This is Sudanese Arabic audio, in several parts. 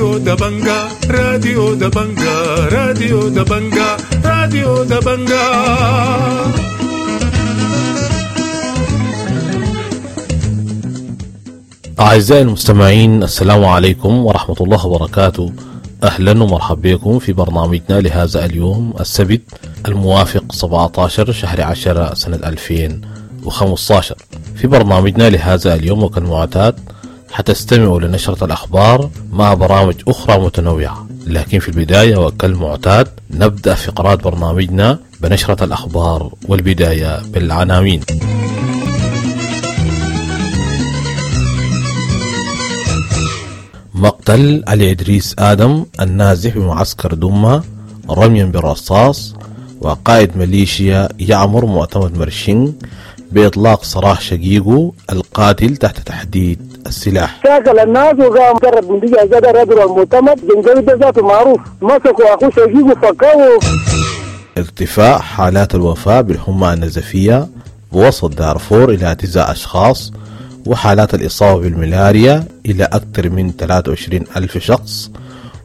راديو دبنجا، راديو دبنجا، راديو دبنجا، راديو دبنجا. أعزائي المستمعين، السلام عليكم ورحمة الله وبركاته. أهلا ومرحبا بكم في برنامجنا لهذا اليوم السبت الموافق 17 شهر 10 سنة 2015. في برنامجنا لهذا اليوم وكالمعتاد حتستمعوا لنشرة الأخبار مع برامج أخرى متنوعة، لكن في البداية وكالمعتاد نبدأ فقرات برنامجنا بنشرة الأخبار، والبداية بالعناوين. مقتل علي إدريس آدم النازح بمعسكر دمة رميا بالرصاص، وقائد ميليشيا يعمر معتمد مرشين بإطلاق سراح شقيقه القاتل تحت تحديد السلاح. شاكل الناس وقام قرب من دي زاد رجل المعتمد جنجوي ذاته معروف، مسكوا أخوه شقيقه فكوه. ارتفاع حالات الوفاة بالحمى النزفية بوسط دارفور إلى 9 أشخاص، وحالات الإصابة بالملاريا إلى أكثر من 23 ألف شخص،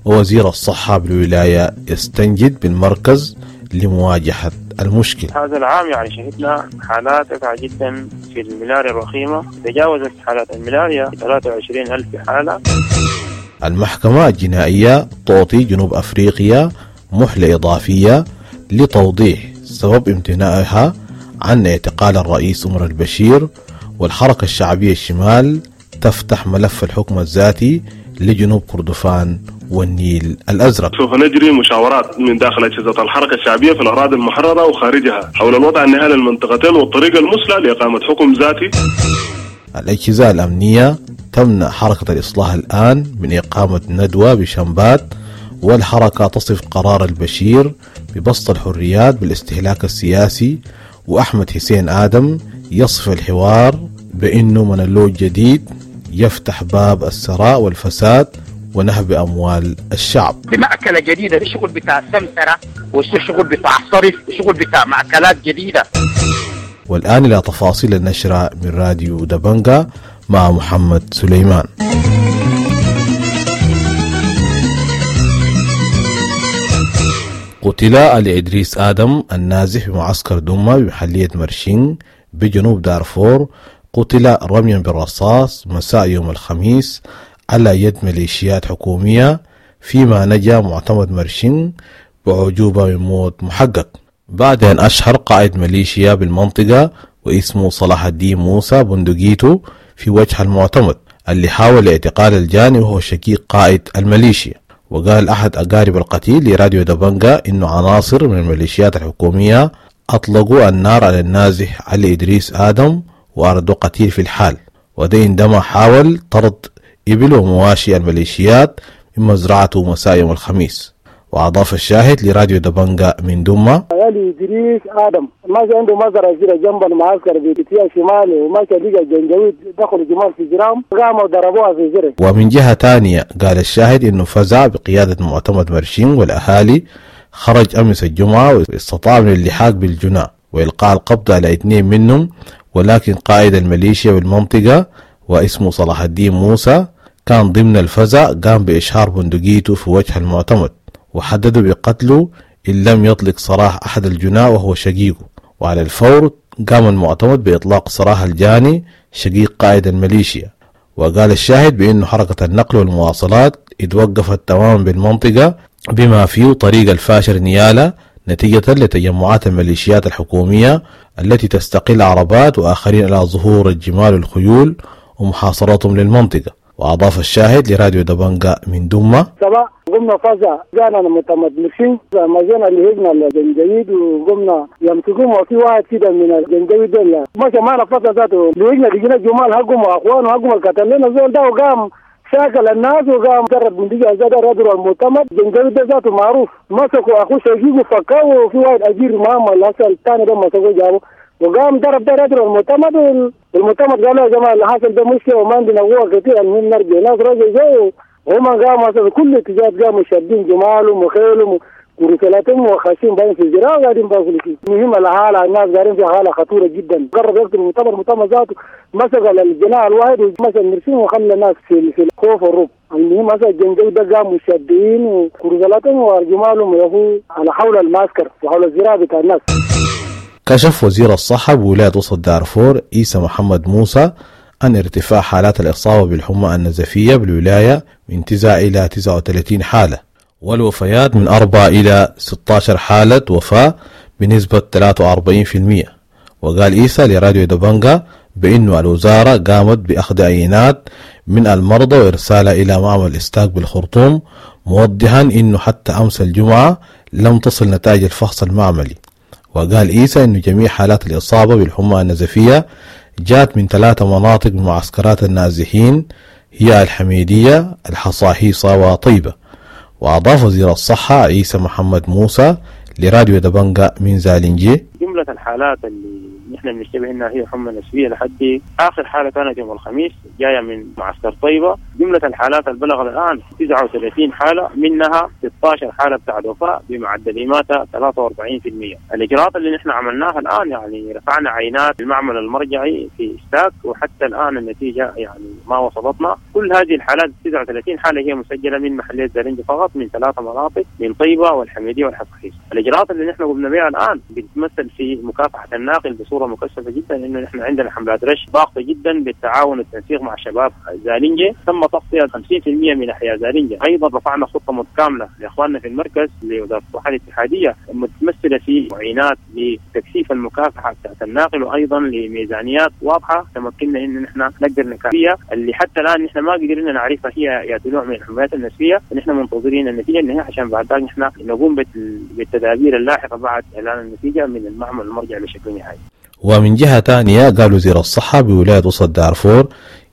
ووزير الصحة بالولاية يستنجد بالمركز لمواجهة المشكلة. هذا العام يعني شهدنا حالات رفعة جدا في الملاريا الوخيمة، تجاوزت حالات الملاريا 23 ألف حالة. المحكمة الجنائية تعطي جنوب أفريقيا مهلة إضافية لتوضيح سبب امتناعها عن اعتقال الرئيس عمر البشير، والحركة الشعبية الشمال تفتح ملف الحكم الذاتي لجنوب كردفان والنيل الأزرق. سوف نجري مشاورات من داخل أجهزة الحركة الشعبية في الأراضي المحررة وخارجها حول الوضع النهائي للمنطقتين والطريقة المثلى لإقامة حكم ذاتي. الأجهزة الأمنية تمنع حركة الإصلاح الآن من إقامة ندوة بشمبات، والحركة تصف قرار البشير ببسط الحريات بالاستهلاك السياسي، وأحمد حسين آدم يصف الحوار بأنه منلوج جديد يفتح باب الثراء والفساد ونهب أموال الشعب. بمأكلة جديدة، الشغل بتاع السمسرة والشغل بتاع الصرف والشغل بتاع مأكلات جديدة. والآن إلى تفاصيل النشرة من راديو دبنجا مع محمد سليمان. قتل علي إدريس آدم النازح بمعسكر دمة بمحلية مرشين بجنوب دارفور، قتل رميا بالرصاص مساء يوم الخميس على يد ميليشيات حكومية، فيما نجا معتمد مرشين بعجوبة من موت محقق، بعد أن أشهر قائد ميليشيا بالمنطقة واسمه صلاح الدين موسى بندقيته في وجه المعتمد اللي حاول اعتقال الجاني وهو شقيق قائد الميليشيا. وقال أحد أقارب القتيل لراديو دبنجا إنه عناصر من الميليشيات الحكومية أطلقوا النار على النازح علي إدريس آدم وأردوا قتيل في الحال، وده عندما حاول طرد إبل ومواشي الميليشيات من مزرعته مساء يوم الخميس. وأضاف الشاهد لراديو دبنجا من دمة: علي إدريس آدم ماشي عنده مزرعة كده جنب المعسكر باتجاه شمالي، وماشي لقى جنجويد دخلوا جمال في جرام قاموا ضربوها في جري. ومن جهة ثانية قال الشاهد إنه فزع بقيادة معتمد مرشين والأهالي خرج أمس الجمعة واستطاع من اللحاق بالجناء وإلقاء القبض على 2 منهم، ولكن قائد الميليشيا بالمنطقة واسمه صلاح الدين موسى كان ضمن الفزع، قام بإشهار بندقيته في وجه المعتمد وحددوا بقتله إن لم يطلق سراح أحد الجناء وهو شقيقه. وعلى الفور قام المعتمد بإطلاق سراح الجاني شقيق قائد الميليشيا. وقال الشاهد بأنه حركة النقل والمواصلات اتوقفت تماما بالمنطقة بما فيه طريق الفاشر نيالا نتيجة لتجمعات الميليشيات الحكومية التي تستقل عربات وآخرين على ظهور الجمال والخيول ومحاصرتهم للمنطقة. وأضاف الشاهد لراديو دبنجا من دمة: سبا قمنا فزع جانا المعتمد مرشين ما جينا اللي هجنا الجنجويد وقمنا يمسكوهم، وفي واحد كده من الجنجويد دول ماشي معنا فزع ذاته اللي هجنا لقينا جمال حقهم واخوانه حقهم القتل لنا زول ده، وقام شاكل الناس وقام قرب من دي زاد رجل المعتمد جنجويد ده ذاته معروف، مسكوا اخوه شقيقه فكوه، وفي واحد اجير معهم الأصل الثاني ده مسكوه جابه وقام ضرب ده رجل المعتمد. المعتمد قال يا جماعه اللي حصل ده مشكله وما عندنا قوه كثير، المهم نرجع. ناس رجعوا جو وهم قاموا كل اتجاهات قاموا شادين جمالهم وخيلهم ورسالاتهم وخاشين باين في الزراعه وقاعدين باكلوا فيه. المهم الحاله الناس قاعدين في حاله خطيره جدا. قرب يقتل المؤتمر، المؤتمر ذاته مسك الجناح الواحد ومسك المرسين وخلى الناس في الخوف والرعب. المهم هسه الجنجويد ده قاموا مشدين وكرزلاتهم وجمالهم يهو على حول المعسكر وحول الزراعة بتاع الناس. كشف وزير الصحة بولاية وسط دارفور عيسى محمد موسى أن ارتفاع حالات الإصابة بالحمى النزفية بالولاية من 9 إلى 39 حالة، والوفيات من 4 إلى 16 حالة وفاة بنسبة 43%. وقال عيسى لراديو دبنجا بأنه الوزارة قامت بأخذ عينات من المرضى وإرسالها إلى معمل إستاك بالخرطوم، موضحا أنه حتى أمس الجمعة لم تصل نتائج الفحص المعملي. وقال عيسى أنه جميع حالات الإصابة بالحمى النزفية جاءت من 3 مناطق من معسكرات النازحين، هي الحميدية، الحصاحيصة، وطيبة. وأضاف وزير الصحة عيسى محمد موسى لراديو دبنجا من زالنجي: جملة الحالات اللي نحن بنشتبه انها هي حمى نسبية لحد اخر حالة كانت يوم الخميس جاية من معسكر طيبة. جملة الحالات اللي بلغت الان 39 حالة، منها 16 حالة بتاع وفاة بمعدل إماتة 43%. الإجراءات اللي نحن عملناها الان يعني رفعنا عينات المعمل المرجعي في ستاك، وحتى الان النتيجة يعني ما وصلتنا. كل هذه الحالات 39 حالة هي مسجلة من محلية زالنجي فقط، من 3 مناطق، من طيبة والحميدية والحصاحيصا. الإجراءات اللي نحن قمنا بها الان بتتمثل في مكافحة الناقل بصورة مكثفة جدا، انه نحن عندنا حملات رش ضاغطة جدا بالتعاون والتنسيق مع شباب زالنجي، تم تغطيه 50% من احياء زالنجي. ايضا رفعنا خطه متكاملة لاخواننا في المركز لوزارة الصحة الاتحادية متمثلة في معينات لتكثيف المكافحه بتاعت الناقل، وايضا لميزانيات واضحة تمكننا ان نحن نقدر نكافيها اللي حتى الان نحن ما قدرنا نعرفها هي يا نوع من الحميات النسبية. نحن منتظرين النتيجة النهائية عشان بعد ذلك نحن نقوم بالتدابير اللاحقة بعد اعلان النتيجة من المعمل المرجع بشكل نهائي. ومن جهة ثانية قال وزير الصحة بولاية وسط دارفور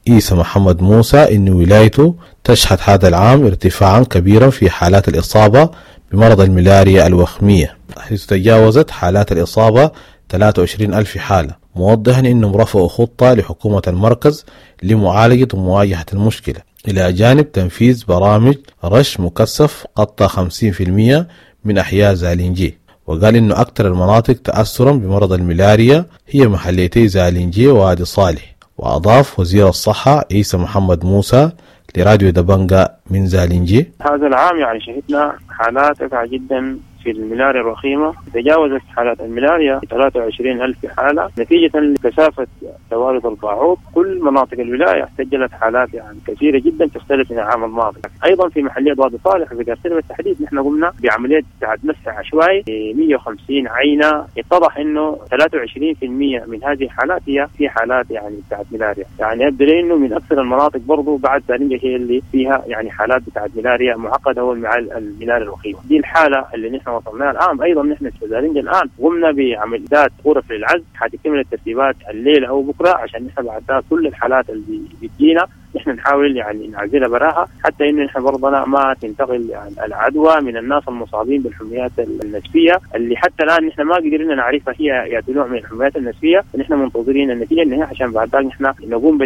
عيسى محمد موسى إن ولايته تشهد هذا العام ارتفاعا كبيرا في حالات الإصابة بمرض الملاريا الوخمية، حيث تجاوزت حالات الإصابة 23 ألف حالة، موضحا أنهم رفعوا خطة لحكومة المركز لمعالجة ومواجهة المشكلة، إلى جانب تنفيذ برامج رش مكثف غطى 50% من أحياء زالنجي. وقال إنه أكثر المناطق تأثرا بمرض الملاريا هي محليتي زالنجي ووادي صالح. وأضاف وزير الصحة عيسى محمد موسى لراديو دبنجا من زالنجي: هذا العام يعني شهدنا حالات رفعة جدا في الملاريا الوخيمة، تجاوزت حالات الملاريا 23 ألف حالة نتيجة لكثافة توارد الباعوض. كل مناطق الولاية سجلت حالات يعني كثيرة جدا تختلف من العام الماضي. أيضا في محلية وادي صالح وفي قرسلة بالتحديد نحن قمنا بعملية مسح عشوائي 150 عينة، اتضح أنه 23% من هذه الحالات هي في حالات يعني بتاعت ملاريا. يعني يبدو لي أنه من أكثر المناطق برضو بعد زالنجي هي اللي فيها يعني حالات بتاعت ملاريا معقدة هو الملاريا الوخيمة. دي الحالة اللي نحن وصلناها الآن. أيضا نحن في زالنجي الآن قمنا بعمليات غرف للعزل، حتكمل الترتيبات الليلة أو بكرة عشان نحن بعد كل الحالات اللي بتجينا نحن نحاول يعني نعزلها براها، حتى إنه نحن برضنا ما تنتقل يعني العدوى من الناس المصابين بالحميات النسبية اللي حتى الآن نحن ما قدرنا نعرفها هي يا نوع من الحميات النسبية. نحن منتظرين النتيجة النهائية عشان بعد ذلك نحن نقوم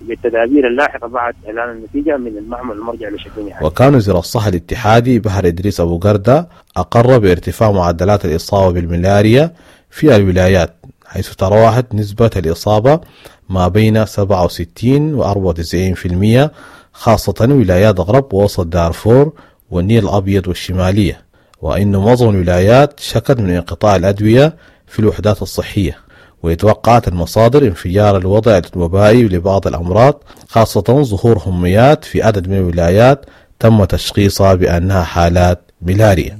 بالتدابير اللاحقة بعد إعلان النتيجة من المعمل المرجع بشكل نهائي. وكان وزير الصحة الاتحادي بحر إدريس أبو قردة أقر بارتفاع معدلات الإصابة بالملاريا في الولايات، حيث تراوحت نسبة الإصابة ما بين 67 و 94%، خاصة ولايات غرب ووسط دارفور والنيل الأبيض والشمالية، وإن معظم الولايات شكت من انقطاع الأدوية في الوحدات الصحية. ويتوقعت المصادر انفجار الوضع الوبائي لبعض الأمراض، خاصة ظهور هميات في عدد من الولايات تم تشخيصها بأنها حالات ملاريا.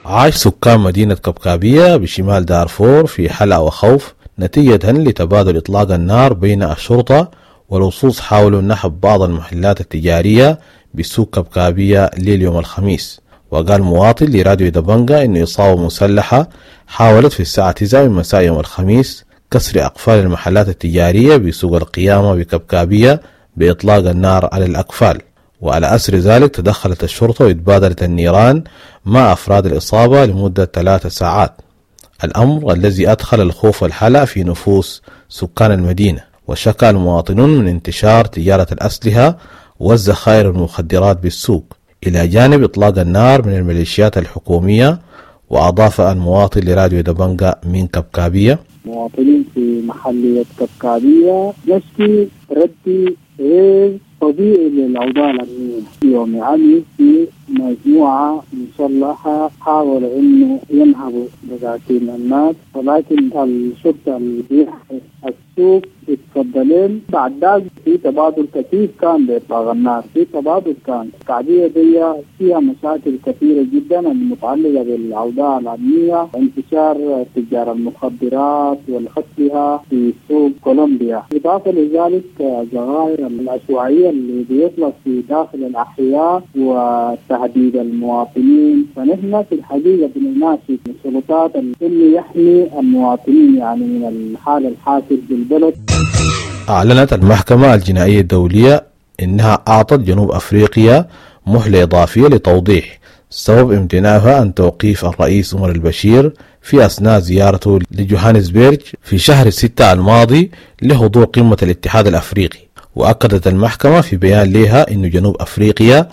عاش سكان مدينة كبكابية بشمال دارفور في حلقة وخوف نتيجة لتبادل إطلاق النار بين الشرطة واللصوص حاولوا نحب بعض المحلات التجارية بسوق كبكابية ليل يوم الخميس. وقال مواطن لراديو دبنجا إن إصابة مسلحة حاولت في الساعة 9 من مساء يوم الخميس كسر أقفال المحلات التجارية بسوق القيامة بكبكابية بإطلاق النار على الأقفال، وعلى أثر ذلك تدخلت الشرطة وتبادلت النيران مع أفراد الإصابة لمدة 3 ساعات، الأمر الذي أدخل الخوف والحلق في نفوس سكان المدينة. وشكى المواطنون من انتشار تجارة الأسلحة والذخائر والمخدرات بالسوق، إلى جانب إطلاق النار من الميليشيات الحكومية. وأضاف المواطن لراديو دبنجا من كبكابية: مواطنين في محلية كبكابية نشكي ردي غير الطبيعي للأوضاع الأمنية. يوم أمس في مجموعة مسلحة حاولوا إنه ينهبوا دكاكين الناس، ولكن الشرطة اللي بيحمي السوق اتفضلين. بعد ذلك في تبادل كثير كان بإطلاق النار، في تبادل كان. القضية دي فيها مشاكل كثيرة جدا المتعلقة بالأوضاع الأمنية، انتشار تجار المخدرات والأسلحة في سوق كولومبيا، إضافة لذلك الظواهر العشوائية اللي بيطلق في داخل الأحياء وتهديد المواطنين. فنحن في الحقيقة بنناشد السلطات إنه يحمي المواطنين يعني من الحالة الحاصل بالبلد. أعلنت المحكمة الجنائية الدولية إنها أعطت جنوب أفريقيا مهلة إضافية لتوضيح سبب امتناعها عن توقيف الرئيس عمر البشير في أثناء زيارته لجوهانسبرج في شهر 6 الماضي لحضور قمة الاتحاد الأفريقي. وأكدت المحكمة في بيان لها أن جنوب أفريقيا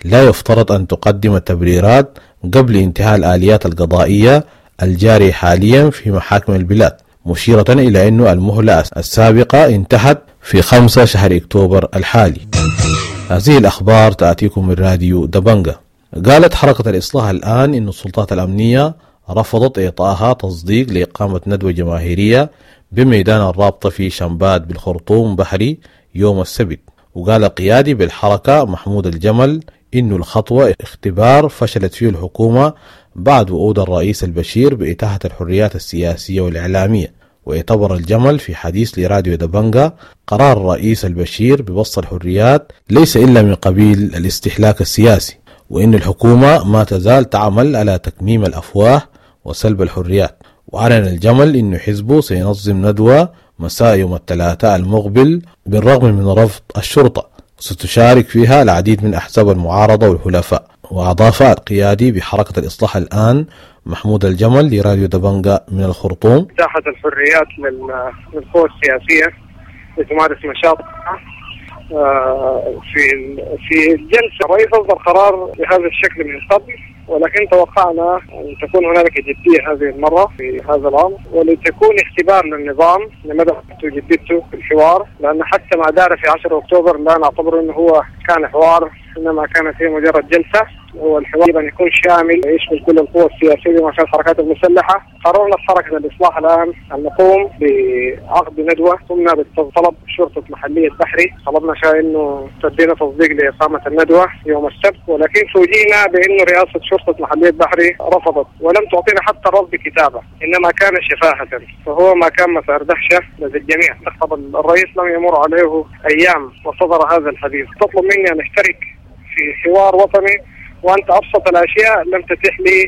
لا يفترض أن تقدم التبريرات قبل انتهاء الآليات القضائية الجارية حاليا في محاكم البلاد، مشيرة إلى أن المهلة السابقة انتهت في 5 شهر أكتوبر الحالي. هذه الأخبار تأتيكم من راديو دبنجة. قالت حركة الإصلاح الآن إن السلطات الأمنية رفضت إعطائها تصديق لإقامة ندوة جماهيرية بميدان الرابطة في شمبات بالخرطوم بحري يوم السبت. وقال القيادي بالحركة محمود الجمل إن الخطوة اختبار فشلت فيه الحكومة بعد وعود الرئيس البشير بإتاحة الحريات السياسية والإعلامية. ويعتبر الجمل في حديث لراديو دبنجة قرار الرئيس البشير ببسط الحريات ليس إلا من قبيل الاستهلاك السياسي، وإن الحكومة ما تزال تعمل على تكميم الأفواه وسلب الحريات. وأعلن الجمل إن حزبه سينظم ندوة مساء يوم الثلاثاء المقبل بالرغم من رفض الشرطة، وستشارك فيها العديد من أحزاب المعارضة والحلفاء. وأضاف القيادي بحركة الإصلاح الآن محمود الجمل لراديو دبنجة من الخرطوم: إتاحة الحريات للقوى السياسية لتمارس نشاطها في الجلسة. الرئيس أصدر قرار بهذا الشكل من قبل، ولكن توقعنا أن تكون هنالك جدية هذه المرة في هذا الأمر، ولتكون اختبار للنظام لمدى جديته في الحوار، لأن حتى ما دار في 10 أكتوبر لا نعتبر أنه هو كان حوار، إنما كانت هي مجرد جلسة. هو الحوار يجب أن يكون شامل يشمل كل القوى السياسية بما فيها الحركات المسلحة. قررنا في حركة الإصلاح الآن أن نقوم بعقد ندوة، قمنا بطلب شرطة محلية بحري، طلبنا شيء إنه تدينا تصديق لإقامة الندوة يوم السبت، ولكن فوجئنا بأنه رئاسة شرطة محلية بحري رفضت ولم تعطينا حتى رفض بكتابة، إنما كان شفاهة، فهو ما كان مسار دهشة لدى الجميع. الرئيس لم يمر عليه أيام وصدر هذا الحديث. تطلب مني أن أشترك في حوار وطني وأنت أبسط الأشياء لم تتيح لي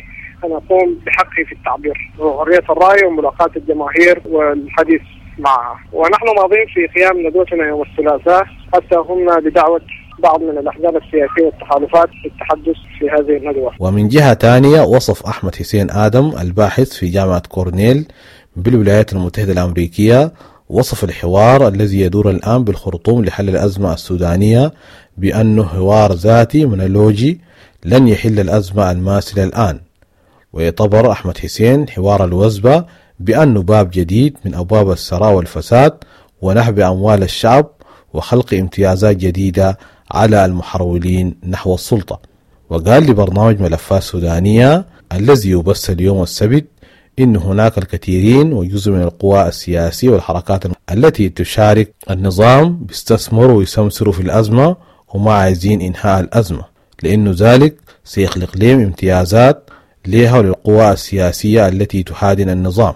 أن أقوم بحقي في التعبير وحرية الرأي وملاقاة الجماهير والحديث معها. ونحن ماضين في قيام ندوتنا يوم الثلاثاء، حتى قمنا بدعوة بعض من الأحزاب السياسية والتحالفات للتحدث في هذه الندوة. ومن جهة ثانية وصف أحمد حسين آدم الباحث في جامعة كورنيل بالولايات المتحدة الأمريكية وصف الحوار الذي يدور الآن بالخرطوم لحل الأزمة السودانية بأنه حوار ذاتي منولوجي لن يحل الأزمة الماسلة الآن. ويعتبر أحمد حسين حوار الوزبة بأنه باب جديد من أبواب الثراء والفساد ونهب أموال الشعب وخلق امتيازات جديدة على المحرولين نحو السلطة. وقال لبرنامج ملفات سودانية الذي يبث اليوم السبت إن هناك الكثيرين وجزء من القوى السياسية والحركات التي تشارك النظام بيستثمروا ويسمسروا في الأزمة وما عايزين إنهاء الأزمة، لأنه ذلك سيخلق لهم امتيازات لها وللقوى السياسية التي تحادن النظام.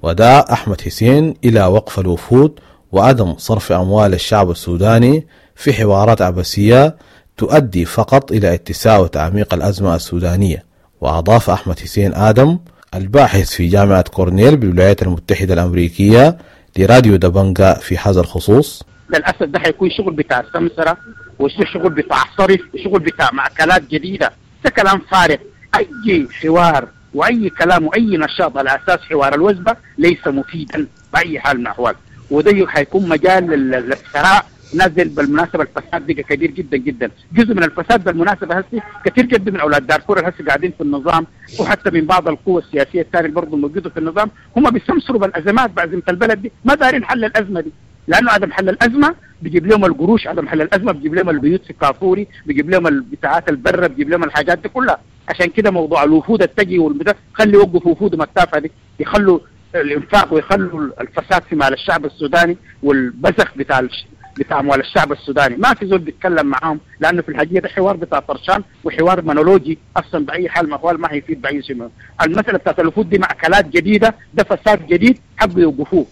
ودعا أحمد حسين إلى وقف الوفود وعدم صرف أموال الشعب السوداني في حوارات عبثية تؤدي فقط إلى اتساع وتعميق الأزمة السودانية. وأضاف أحمد حسين آدم الباحث في جامعة كورنيل بالولايات المتحدة الأمريكية لراديو دبنجة في هذا الخصوص: للأسف ده حيكون شغل بتاع سمسرة وشغل بتاع صرف وشغل بتاع مأكلات جديدة. ده كلام فارغ. أي حوار وأي كلام وأي نشاط على أساس حوار الوزبة ليس مفيدا بأي حال من الأحوال، وده حيكون مجال للثراء. نزل بالمناسبة الفساد بقى كبير جدا جدا، جزء من الفساد بالمناسبة هسه كثير جدا من أولاد دارفور هسه قاعدين في النظام، وحتى من بعض القوى السياسية الثانية برضه موجودة في النظام، هم بيستمسروا بالأزمات بأزمة البلد دي، ما دارين حل الأزمة دي. لانه عدم حل الازمة بيجيب لهم القروش، عدم حل الازمة بيجيب لهم البيوت في كافوري، بيجيب لهم البتاعات البرة، بيجيب لهم الحاجات دي كلها. عشان كده موضوع الوفود التجي والبتاع، خلي يوقفوا وفودهم التافهة دي، يخلوا الانفاق ويخلوا الفساد في مال الشعب السوداني والبزخ بتاع اموال الشعب السوداني. ما في زول بيتكلم معاهم، لانه في الحقيقة ده حوار بتاع طرشان وحوار منولوجي اصلا باي حال ما هو ما هيفيد باي شيء. المسالة بتاعت الوفود دي مأكلات جديدة، ده فساد جديد حبوا يوقفوه.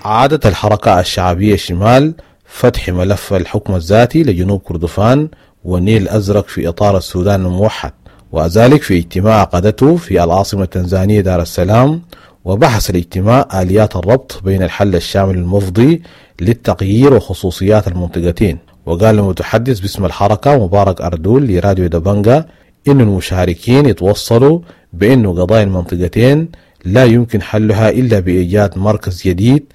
عادت الحركة الشعبية الشمال فتح ملف الحكم الذاتي لجنوب كردفان والنيل الأزرق في إطار السودان الموحد، وذلك في اجتماع عقدته في العاصمة التنزانية دار السلام. وبحث الاجتماع آليات الربط بين الحل الشامل المفضي للتغيير وخصوصيات المنطقتين. وقال المتحدث باسم الحركة مبارك أردول لراديو دبنجا إن المشاركين يتوصلوا بأنه قضايا المنطقتين لا يمكن حلها إلا بإيجاد مركز جديد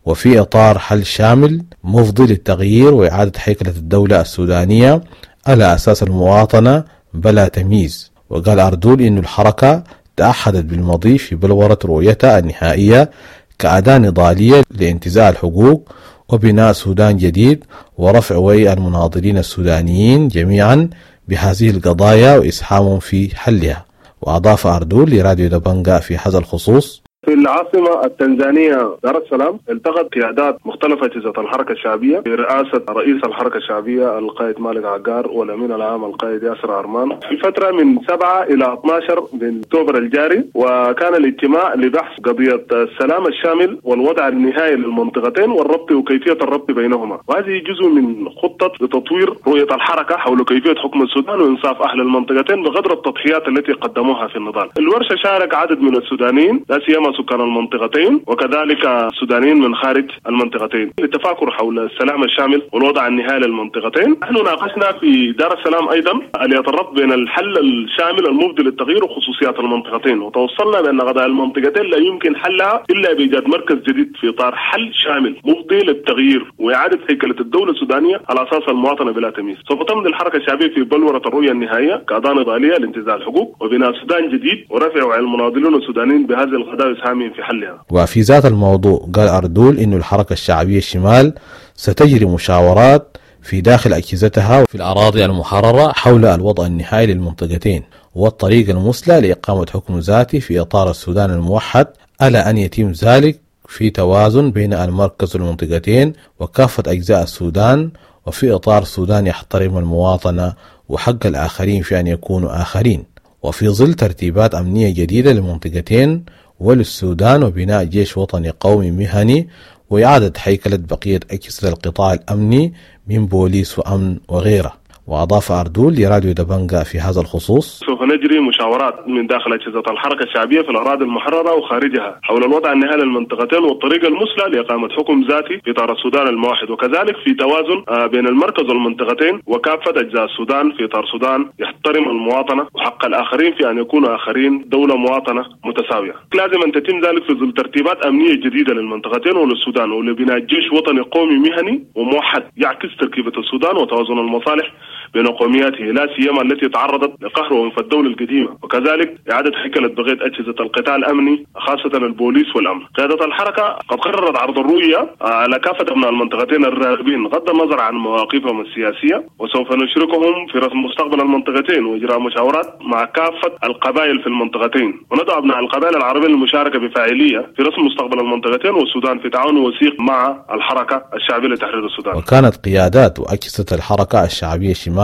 وفي إطار حل شامل مفضي للتغيير وإعادة هيكلة الدولة السودانية على أساس المواطنة بلا تمييز. وقال أردول إن الحركة تأحدت بالمضي في بلورة رؤيتها النهائية كأداة نضالية لانتزاع الحقوق وبناء سودان جديد ورفع وعي المناضلين السودانيين جميعا بهذه القضايا وإسهامهم في حلها. وأضاف أردول لراديو دبنجا في هذا الخصوص: في العاصمة التنزانية دار السلام التقت قيادات مختلفة أجهزة الحركة الشعبية برئاسة رئيس الحركة الشعبية القائد مالك عقار والأمين العام القائد ياسر عرمان في فترة من 7 إلى 12 من أكتوبر الجاري، وكان الاجتماع لبحث قضية السلام الشامل والوضع النهائي للمنطقتين والربط وكيفية الربط بينهما، وهذه جزء من خطة لتطوير رؤية الحركة حول كيفية حكم السودان وإنصاف أهل المنطقتين بقدر التضحيات التي قدموها في النضال. الورشة شارك عدد من السودانيين لا سيما سكان المنطقتين وكذلك السودانيين من خارج المنطقتين للتفاكر حول السلام الشامل والوضع النهائي للمنطقتين. نحن ناقشنا في دار السلام ايضا آليات الربط بين الحل الشامل المفضي للتغيير وخصوصيات المنطقتين، وتوصلنا بان قضايا المنطقتين لا يمكن حلها الا بايجاد مركز جديد في اطار حل شامل مفضي للتغيير واعاده هيكله الدولة السودانية على اساس المواطنة بلا تمييز. سوف تمضي الحركة الشعبية في بلوره الرؤية النهائية كاداة نضالية لانتزاع الحقوق وبناء سودان جديد ورفع وعي المناضلين السودانيين بهذه القضايا في حلها. وفي ذات الموضوع قال أردول إن الحركة الشعبية الشمال ستجري مشاورات في داخل أجهزتها في الأراضي المحررة حول الوضع النهائي للمنطقتين والطريق المثلى لإقامة حكم ذاتي في إطار السودان الموحد، على أن يتم ذلك في توازن بين المركز والمنطقتين وكافة أجزاء السودان، وفي إطار سودان يحترم المواطنة وحق الآخرين في أن يكونوا آخرين، وفي ظل ترتيبات أمنية جديدة للمنطقتين وللسودان وبناء جيش وطني قومي مهني وإعادة هيكلة بقية أجهزة القطاع الأمني من بوليس وأمن وغيره. وأضاف أردول لراديو دبنجا في هذا الخصوص: سوف نجري مشاورات من داخل أجهزة الحركة الشعبية في الأراضي المحررة وخارجها حول الوضع النهائي للمنطقتين والطريقة المثلى لإقامة حكم ذاتي في إطار السودان الموحد، وكذلك في توازن بين المركز والمنطقتين وكافة أجزاء السودان في إطار سودان يحترم المواطنة وحق الآخرين في أن يكونوا آخرين دولة مواطنة متساوية. لازم أن تتم ذلك في ظل ترتيبات أمنية جديدة للمنطقتين وللسودان ولبناء جيش وطني قومي مهني وموحد يعكس تركيبة السودان وتوازن المصالح بين قومياته لا سيما التي تعرضت لقهر وعنف الدولة القديمة، وكذلك إعادة هيكلة بقية أجهزة القطاع الأمني خاصة البوليس والأمن. قيادة الحركة قد قررت عرض الرؤية على كافة أبناء المنطقتين الراغبين بغض النظر عن مواقفهم السياسية، وسوف نشركهم في رسم مستقبل المنطقتين وإجراء مشاورات مع كافة القبائل في المنطقتين، وندعو أبناء القبائل العربية للمشاركة بفاعلية في رسم مستقبل المنطقتين والسودان في تعاون وثيق مع الحركة الشعبية لتحرير السودان. وكانت قيادات وأجهزة الحركة الشعبية الشمال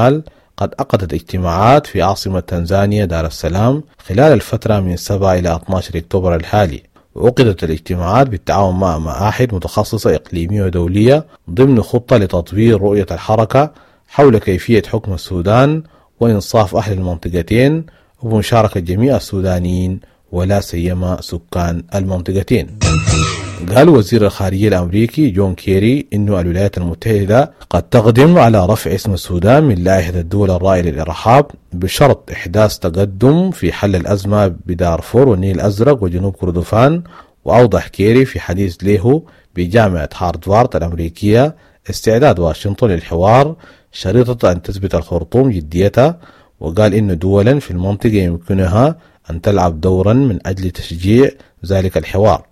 قد عقدت اجتماعات في عاصمة تنزانيا دار السلام خلال الفترة من 7 إلى 12 أكتوبر الحالي، وعقدت الاجتماعات بالتعاون مع معاهد متخصصة إقليمية ودولية ضمن خطة لتطوير رؤية الحركة حول كيفية حكم السودان وإنصاف أهل المنطقتين ومشاركة جميع السودانيين ولا سيما سكان المنطقتين. قال وزير الخارجية الأمريكي جون كيري إنه الولايات المتحدة قد تقدم على رفع اسم السودان من لائحة الدول الرائدة للإرهاب بشرط إحداث تقدم في حل الأزمة بدارفور والنيل الأزرق وجنوب كردفان. وأوضح كيري في حديث له بجامعة هارفارد الأمريكية استعداد واشنطن للحوار شريطة أن تثبت الخرطوم جديتها، وقال إن دولا في المنطقة يمكنها أن تلعب دورا من أجل تشجيع ذلك الحوار.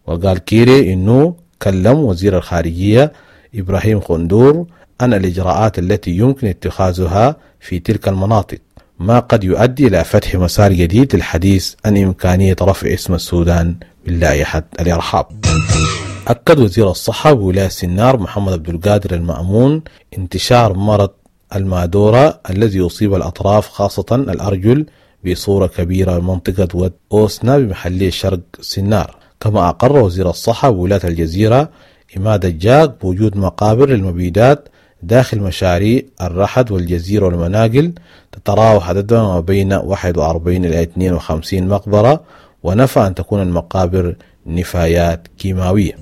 وقال كيري إنه كلم وزير الخارجية إبراهيم خندور عن الإجراءات التي يمكن اتخاذها في تلك المناطق، ما قد يؤدي إلى فتح مسار جديد للحديث عن إمكانية رفع اسم السودان من لائحة الإرهاب. أكد وزير الصحة بولاية سنار محمد عبد القادر المأمون انتشار مرض المادورة الذي يصيب الأطراف خاصة الأرجل بصورة كبيرة بمنطقة ود أوسنا بمحلية شرق سنار. كما أقر وزير الصحة بولاية الجزيرة إماد الجاك بوجود مقابر للمبيدات داخل مشاريع الرحد والجزيرة والمناقل تتراوح عددها ما بين 41 إلى 52 مقبرة، ونفى أن تكون المقابر نفايات كيماوية.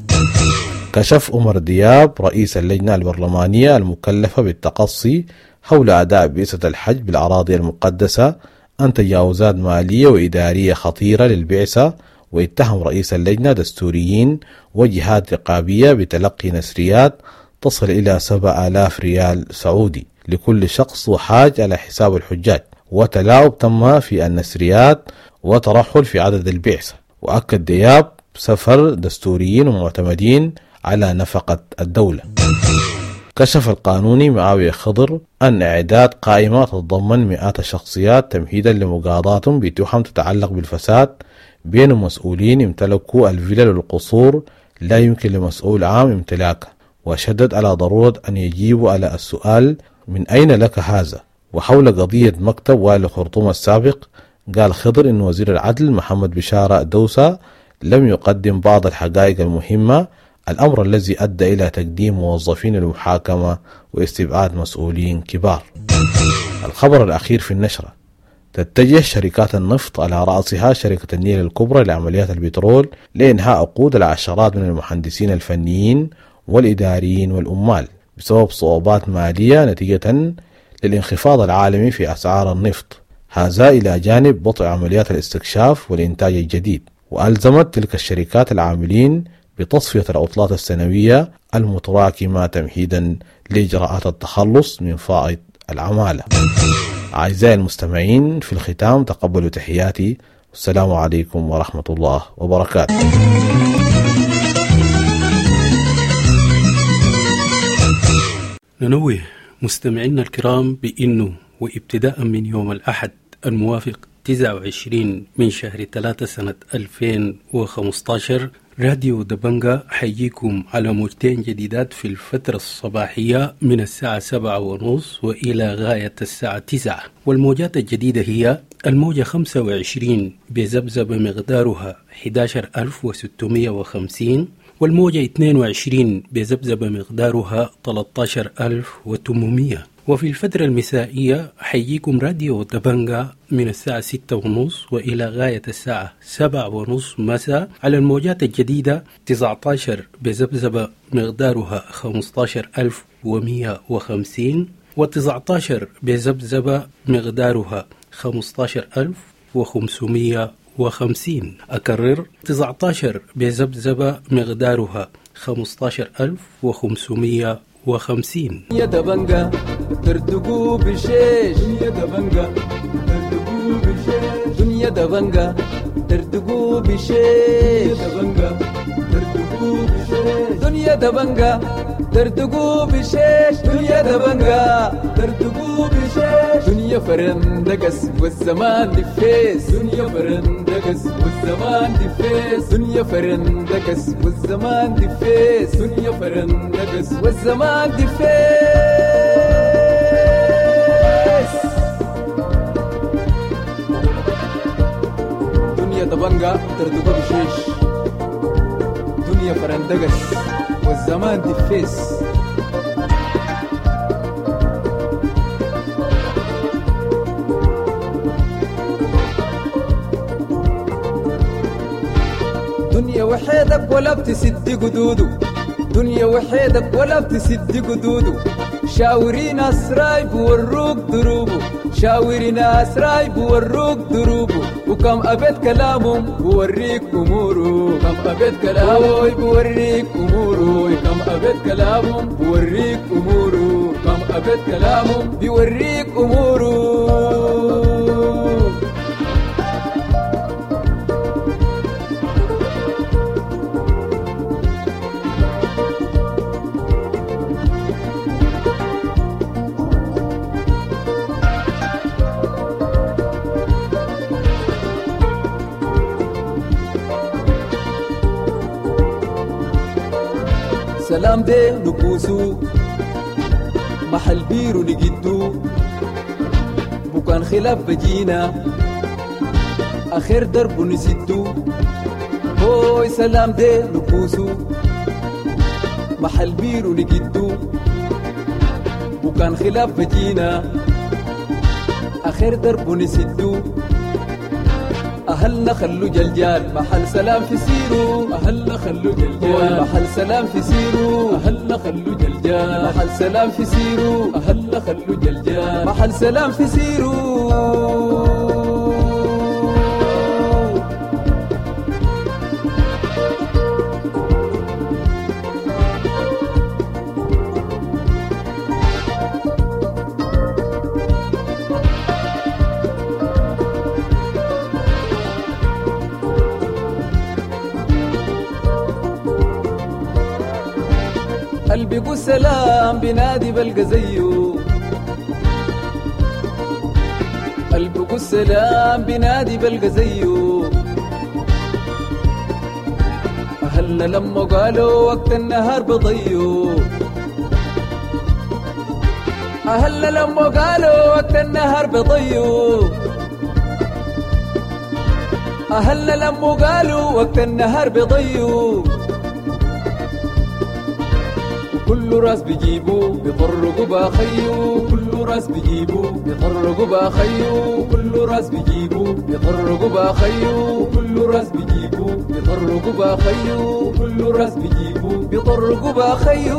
كشف عمر دياب رئيس اللجنة البرلمانية المكلفة بالتقصي حول أداء بعثة الحج بالأراضي المقدسة عن تجاوزات مالية وإدارية خطيرة للبعثة، واتهم رئيس اللجنة دستوريين وجهات رقابية بتلقي نسريات تصل إلى 7000 ريال سعودي لكل شخص وحاج على حساب الحجاج، وتلاعب تم في النسريات وترحل في عدد البعثة. وأكد دياب سفر دستوريين ومعتمدين على نفقة الدولة. كشف القانوني معاوية خضر أن إعداد قائمة تتضمن مئات الشخصيات تمهيدا لمقاضاتهم بتهم تتعلق بالفساد بين مسؤولين امتلكوا الفلل والقصور لا يمكن لمسؤول عام امتلاكه، وشدد على ضرورة أن يجيبوا على السؤال من أين لك هذا. وحول قضية مكتب والي خرطوم السابق قال خضر إن وزير العدل محمد بشارة دوسة لم يقدم بعض الحقائق المهمة، الأمر الذي أدى إلى تقديم موظفين للمحاكمة واستبعاد مسؤولين كبار. الخبر الأخير في النشرة: تتجه شركات النفط على رأسها شركة النيل الكبرى لعمليات البترول لإنهاء عقود العشرات من المهندسين الفنيين والإداريين والأمال بسبب صعوبات مالية نتيجة للانخفاض العالمي في أسعار النفط، هذا إلى جانب بطء عمليات الاستكشاف والإنتاج الجديد. وألزمت تلك الشركات العاملين بتصفية العطلات السنوية المتراكمة تمهيدا لإجراءات التخلص من فائض العمالة. أعزائي المستمعين، في الختام تقبلوا تحياتي، والسلام عليكم ورحمة الله وبركاته. ننوه مستمعينا الكرام بأنه وابتداء من يوم الأحد الموافق 29 من شهر 3 سنة 2015 راديو دبنجا حييكم على موجتين جديدات في الفترة الصباحية من الساعة 7:30 وإلى غاية الساعة 9. والموجات الجديدة هي الموجة 25 بذبذبة مقدارها 11650، والموجة 22 بذبذبة مقدارها 13800. وفي الفترة المسائية حييكم راديو دبنجا من الساعة 6:30 وإلى غاية الساعة 7:30 مساء على الموجات الجديدة 19 بذبذبة مقدارها 15150، و19 بذبذبة مقدارها 15550. أكرر، 19 بذبذبة مقدارها 15550. يا دبنجا تردقوا بالشيش، يا دبنجا تردقوا بالشيش، دنيا دبنجا تردقوا بالشيش، يا دبنجا تردقوا بالشيش، دنيا دبنجا تردقوا بالشيش، دنيا دبنجا تردقوا بالشيش، دنيا فرندقس والزمان دفيس، دنيا فرندقس والزمان دفيس، دنيا فرندقس والزمان دفيس، دنيا فرندقس والزمان دفيس. دنيا دبنجا تردقوا بالشيش، دنيا فرندقس والزمان دفيس. دنيا وحيدك ولا بتسد قدوده، دنيا وحيدك ولا بتسد قدوده، شاوري ناس رايب وروك دروبه، شاوري ناس رايب وروك دروبه، وكم أبيت كلامهم بوريك أموره، كم أبيت كلامه بوريك أموره، كم أبيت كلامهم بوريك أموره، كم أبيت كلامهم بيوريك أموره. سلام دي نكوسو محل بيرو نجدو بكان خلاف بجينا آخر درب نسدو هوي سلام دي نكوسو محل بيرو نجدو وكان خلاف بجينا آخر درب نسدو أهلنا خلو جلجال محل سلام في سيرو أهلنا خلو جلجال محل سلام في سيرو أهلنا خلو جلجال محل سلام في سيرو أهلنا خلو جلجال محل سلام في سيرو. قلبي سلام بنادي بلقى زيه قلبي السلام بنادي بلقى زيه أهلنا لما قالوا وقت النهار بضيو أهلنا لما قالوا وقت النهار بضيو أهلنا لما قالوا وقت النهار بضيو كل راس بيجيبو بيطرقوا باخيو كل راس بيجيبو بيطرقوا باخيو كل راس بيجيبو بيطرقوا باخيو كل راس بيجيبو بيطرقوا باخيو كل راس بيجيبو بيطرقوا باخيو.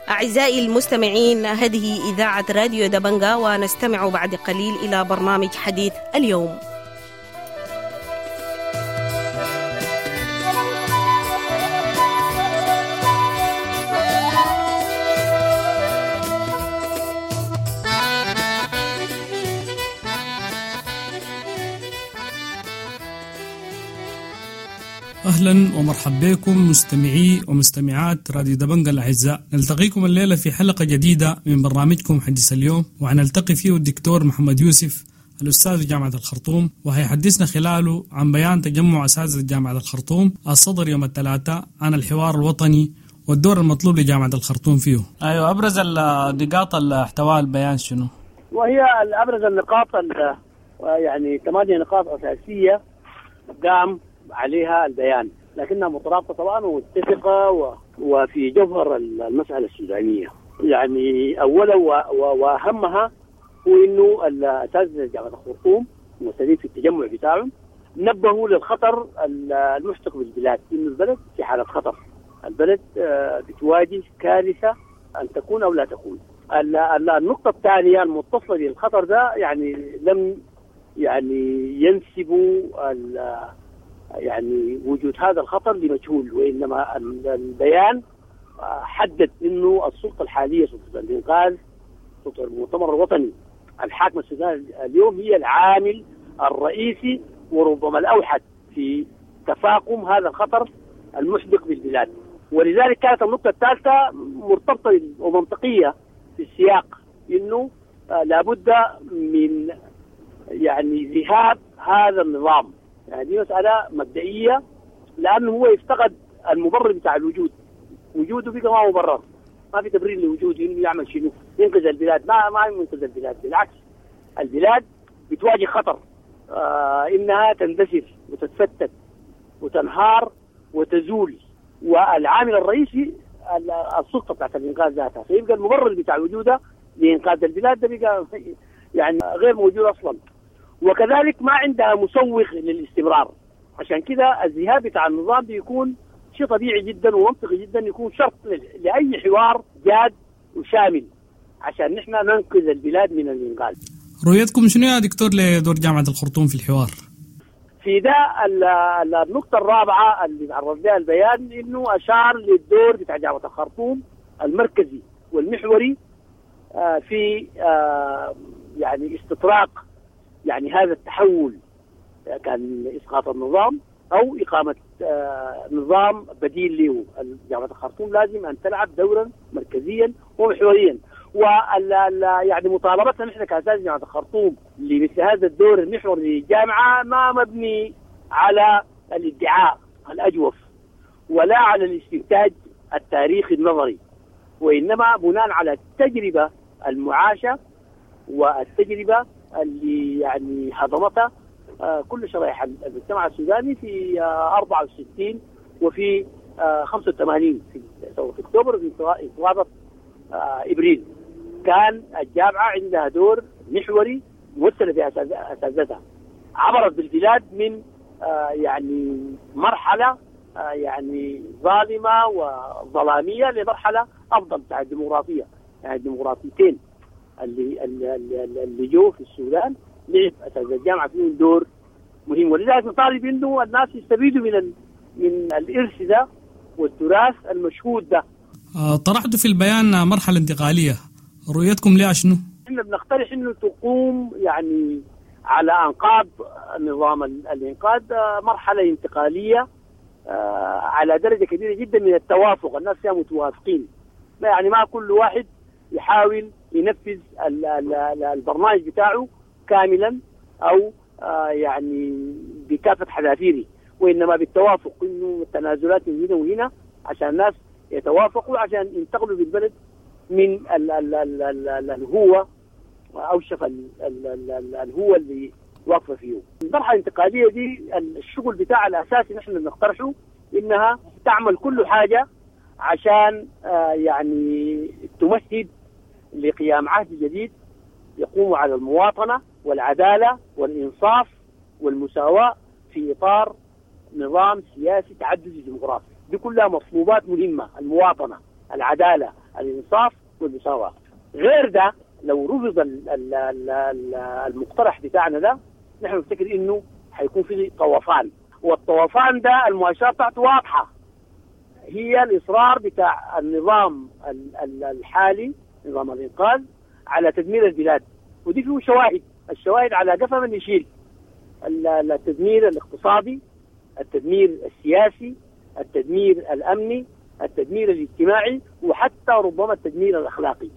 أعزائي المستمعين، هذه إذاعة راديو دبنجا، ونستمع بعد قليل إلى برنامج حديث اليوم. أهلا ومرحبا بكم مستمعي ومستمعات راديو دبنجا الأعزاء. نلتقيكم الليلة في حلقة جديدة من برنامجكم حديث اليوم، وحنلتقي فيه الدكتور محمد يوسف الأستاذ في جامعة الخرطوم، وهيحدثنا خلاله عن بيان تجمع أساتذة جامعة الخرطوم الصدر يوم الثلاثاء عن الحوار الوطني والدور المطلوب لجامعة الخرطوم فيه. أيوة، أبرز النقاط اللي احتواها البيان شنو؟ وهي أبرز النقاط يعني 8 نقاط أساسية قام عليها البيان، لكنها مترابطة طبعا ومتفقة وفي جوهر المسألة السودانية. يعني أولا وأهمها هو إنه الأساتذة جامعة الخرطوم الممثلين في التجمع بتاعهم نبهوا للخطر المحتق بالبلاد، إنه البلد في حالة خطر، البلد بتواجه كارثة أن تكون أو لا تكون. النقطة الثانية المتصلة بالخطر ده، يعني لم يعني ينسبوا يعني وجود هذا الخطر لمجهول، وإنما البيان حدد إنه السلطة الحالية، سلطة الإنقاذ، سلطة المؤتمر الوطني الحاكم السودان اليوم، هي العامل الرئيسي وربما الأوحد في تفاقم هذا الخطر المحدق بالبلاد. ولذلك كانت النقطة الثالثة مرتبطة ومنطقية في السياق، إنه لابد من يعني ذهاب هذا النظام. يعني دي مسألة مبدئية، لأنه هو يفتقد المبرر بتاع الوجود، وجوده بقى ما مبرر، ما في تبرير لوجوده إنه يعمل شنو، ينقذ البلاد، ما ينقذ البلاد، بالعكس البلاد بتواجه خطر إنها تندثر وتتفتت وتنهار وتزول، والعامل الرئيسي السلطة بتاعت الإنقاذ ذاتها، فيبقى المبرر بتاع وجوده لإنقاذ البلاد ده بقى يعني غير موجود أصلا، وكذلك ما عندها مسوغ للاستمرار. عشان كده الذهاب بتاع النظام بيكون شيء طبيعي جدا ومنطقي جدا، يكون شرط لأي حوار جاد وشامل عشان نحن ننقذ البلاد من الإنقاذ. رؤيتكم شنو يا دكتور لدور جامعة الخرطوم في الحوار؟ في ده النقطة الرابعة اللي تعرض لها البيان إنه أشار للدور بتاع جامعة الخرطوم المركزي والمحوري في يعني استطراق يعني هذا التحول، كان إسقاط النظام أو إقامة نظام بديل له. جامعة الخرطوم لازم أن تلعب دورا مركزيا ومحوريا، يعني مطالبتنا نحن كأساتذة جامعة الخرطوم لمثل هذا الدور المحوري للجامعة ما مبني على الادعاء الأجوف ولا على الاستنتاج التاريخي النظري، وإنما بناء على التجربة المعاشة والتجربة اللي يعني هضمتها كل شرائح المجتمع السوداني في 64 وفي 85 في ثورة أكتوبر وفي انتفاضة إبريل. كان الجامعة عندها دور محوري ممثلة في أساتذتها، عبرت بالبلاد من يعني مرحلة يعني ظالمة وظلامية لمرحلة أفضل بتاع الديمقراطية. يعني الديمقراطيتين اللي جو في السودان لعب أساتذة الجامعة فيهم دور مهم، ولذلك نطالب إنه الناس يستفيدوا من الإرث ده والتراث المشهود ده. طرحتوا في البيان مرحلة انتقالية، رؤيتكم ليها شنو؟ احنا بنقترح انه تقوم يعني على انقاض نظام الانقاذ مرحلة انتقالية على درجة كبيرة جدا من التوافق، الناس فيها متوافقين، يعني ما كل واحد يحاول ينفذ البرنامج بتاعه كاملا او يعني بكافة حذافيره، وإنما بالتوافق، إنه التنازلات من هنا وهنا عشان الناس يتوافقوا عشان ينتقلوا بالبلد من الهوة أوشف الهوة اللي واقفة فيه. المرحلة الانتقالية دي الشغل بتاع الأساسي نحن بنقترحه إنها تعمل كل حاجة عشان يعني تمهد لقيام عهد جديد يقوم على المواطنة والعدالة والإنصاف والمساواة في إطار نظام سياسي تعددي ديمقراطي. دي كلها مطلوبات مهمة، المواطنة، العدالة، الإنصاف والمساواة. غير ده لو رفض المقترح بتاعنا ده نحن نفتكر إنه حيكون في طوفان، والطوفان ده المؤشرات بتاعته واضحة، هي الإصرار بتاع النظام الحالي نظام الإنقاذ على تدمير البلاد، ودي فيه شواهد، الشواهد على قفا من يشيل، التدمير الاقتصادي، التدمير السياسي، التدمير الأمني، التدمير الاجتماعي، وحتى ربما التدمير الأخلاقي.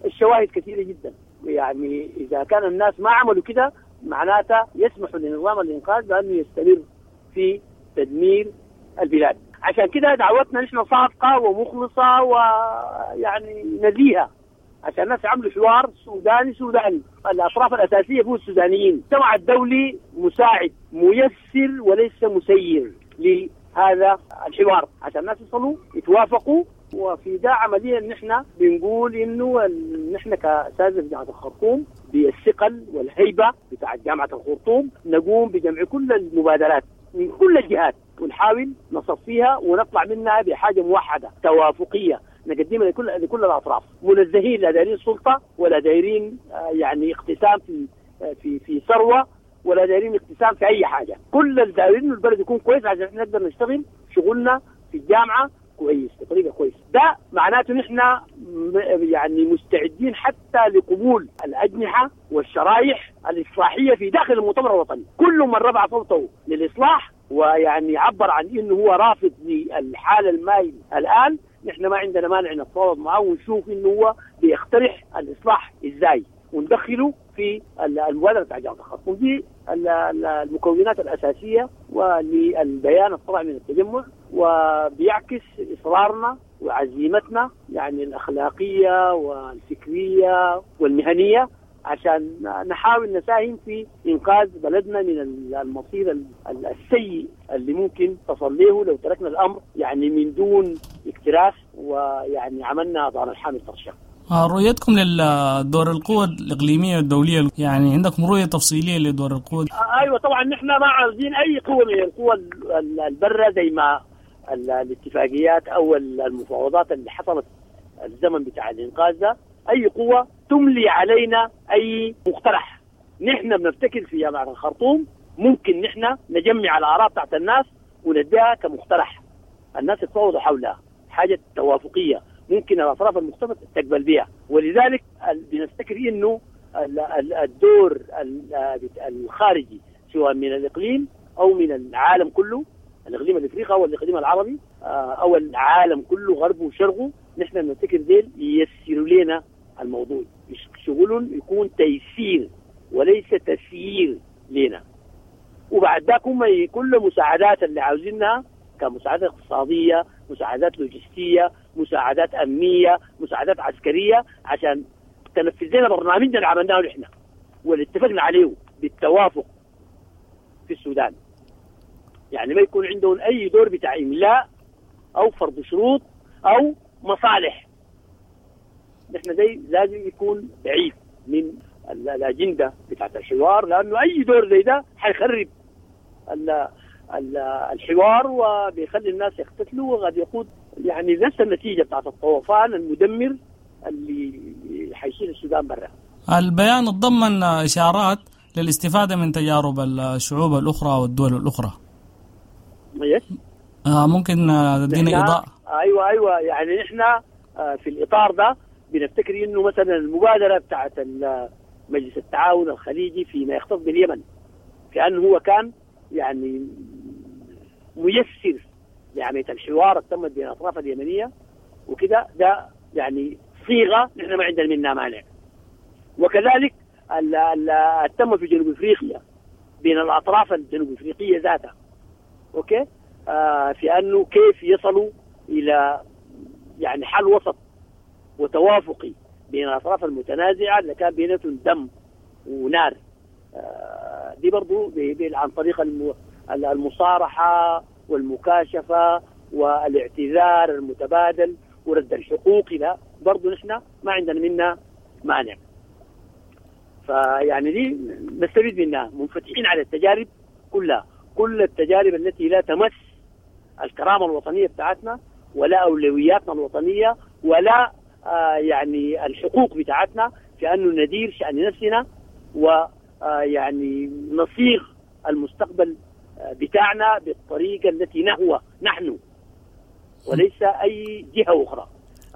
الشواهد كثيرة جدا، يعني إذا كان الناس ما عملوا كده معناته يسمحوا لنظام الإنقاذ بأنه يستمر في تدمير البلاد. عشان كده دعوتنا نحن صادقة ومخلصة ويعني نزيهة عشان الناس يعملوا حوار سوداني سوداني. الأطراف الأساسية هو السودانيين، المجتمع الدولي مساعد ميسر وليس مسير لهذا الحوار عشان الناس يصلوا يتوافقوا. وفي ده عمليا نحن بنقول انه نحن كاساتذه في جامعه الخرطوم بالثقل والهيبة بتاع جامعه الخرطوم نقوم بجمع كل المبادرات من كل الجهات ونحاول نصفيها ونطلع منها بحاجة موحدة توافقيه نقدمها لكل الاطراف، منزهين لا دايرين سلطة ولا دايرين يعني اقتسام في في في ثروة ولا دايرين اقتسام في اي حاجة. كل اللي دايرين البلد يكون كويس عشان نقدر نشتغل شغلنا في الجامعة كويس بطريقة كويسة. ده معناته نحن يعني مستعدين حتى لقبول الاجنحة والشرايح الاصلاحية في داخل المؤتمر الوطني. كل من رفع صوته للاصلاح ويعني عبر عن انه هو رافض للحالة المايل الان، نحن ما عندنا مانع نتفاوض معه ونشوف انه هو بيقترح الاصلاح ازاي وندخله في المبادرة بتاع جامعه الخرطوم. دي المكونات الاساسية وللبيان الطلع من التجمع، وبيعكس اصرارنا وعزيمتنا يعني الاخلاقية والفكريه والمهنية عشان نحاول نساهم في انقاذ بلدنا من المصير السيء اللي ممكن تصل له لو تركنا الامر يعني من دون اكتراث ويعني عملنا دار الحامل ترشق. رؤيتكم لدور القوى الإقليمية والدولية، يعني عندكم رؤية تفصيلية لدور القوى؟ أيوة طبعا نحن ما عاوزين أي قوة من القوى البرة زي ما الاتفاقيات أو المفاوضات اللي حصلت الزمن بتاع الإنقاذ ده، أي قوة تملي علينا أي مقترح. نحن بنفتكر في جامعة الخرطوم ممكن نحن نجمع الآراء بتاعت الناس ونديها كمقترح، الناس يتفاوضوا حولها، حاجة توافقية ممكن الأطراف المختلفة تقبل بها. ولذلك بنفتكر إنه الدور الخارجي سواء من الإقليم أو من العالم كله، الإقليم الإفريقي أو الإقليم العربي أو العالم كله غربه وشرقه، نحن بنفتكر ديل ييسروا لنا الموضوع، شغلهم يكون تيسير وليس تسيير لنا. وبعد ذاك هم كل مساعدات اللي عاوزينها كمساعدات اقتصادية، مساعدات لوجستية، مساعدات أمنية، مساعدات عسكرية، عشان تنفذ لنا برنامجنا اللي عملناه نحن واللي اتفقنا عليه بالتوافق في السودان. يعني ما يكون عندهم أي دور بتاع إملاء أو فرض شروط أو مصالح. نحن زي لازم يكون بعيد من الأجندة بتاعت الحوار، لأنه أي دور زي ده حيخرب الحوار وبيخلي الناس يقتتلوا، وقد يقود يعني نفس النتيجة بتاعت الطوفان المدمر اللي حيشيل السودان برا. البيان تضمن إشارات للاستفادة من تجارب الشعوب الأخرى والدول الأخرى. ممكن تدينا إضاءة؟ أيوة يعني نحن في الإطار ده بنفتكر إنه مثلا المبادرة بتاعت مجلس التعاون الخليجي فيما يختص باليمن، كأنه هو كان يعني ميسر لعملية الحوار تمت بين الأطراف اليمنية وكده، ده يعني صيغة نحن ما عندنا منها مانع. وكذلك تم في جنوب أفريقيا بين الأطراف الجنوب أفريقية ذاتها، أوكي، في أنه كيف يصلوا إلى يعني حل وسط وتوافقي بين الأطراف المتنازعة اللي كان بيناتهم دم ونار. دي برضو عن طريق المصارحة والمكاشفة والاعتذار المتبادل ورد الحقوق، لا برضو نحن ما عندنا منها مانع. فيعني دي نستفيد منها، منفتحين على التجارب كلها، كل التجارب التي لا تمس الكرامة الوطنية بتاعتنا ولا أولوياتنا الوطنية ولا يعني الحقوق بتاعتنا في أنه ندير شأن نفسنا ويعني نصيغ المستقبل بتاعنا بالطريقة التي نهوى نحن وليس أي جهة أخرى.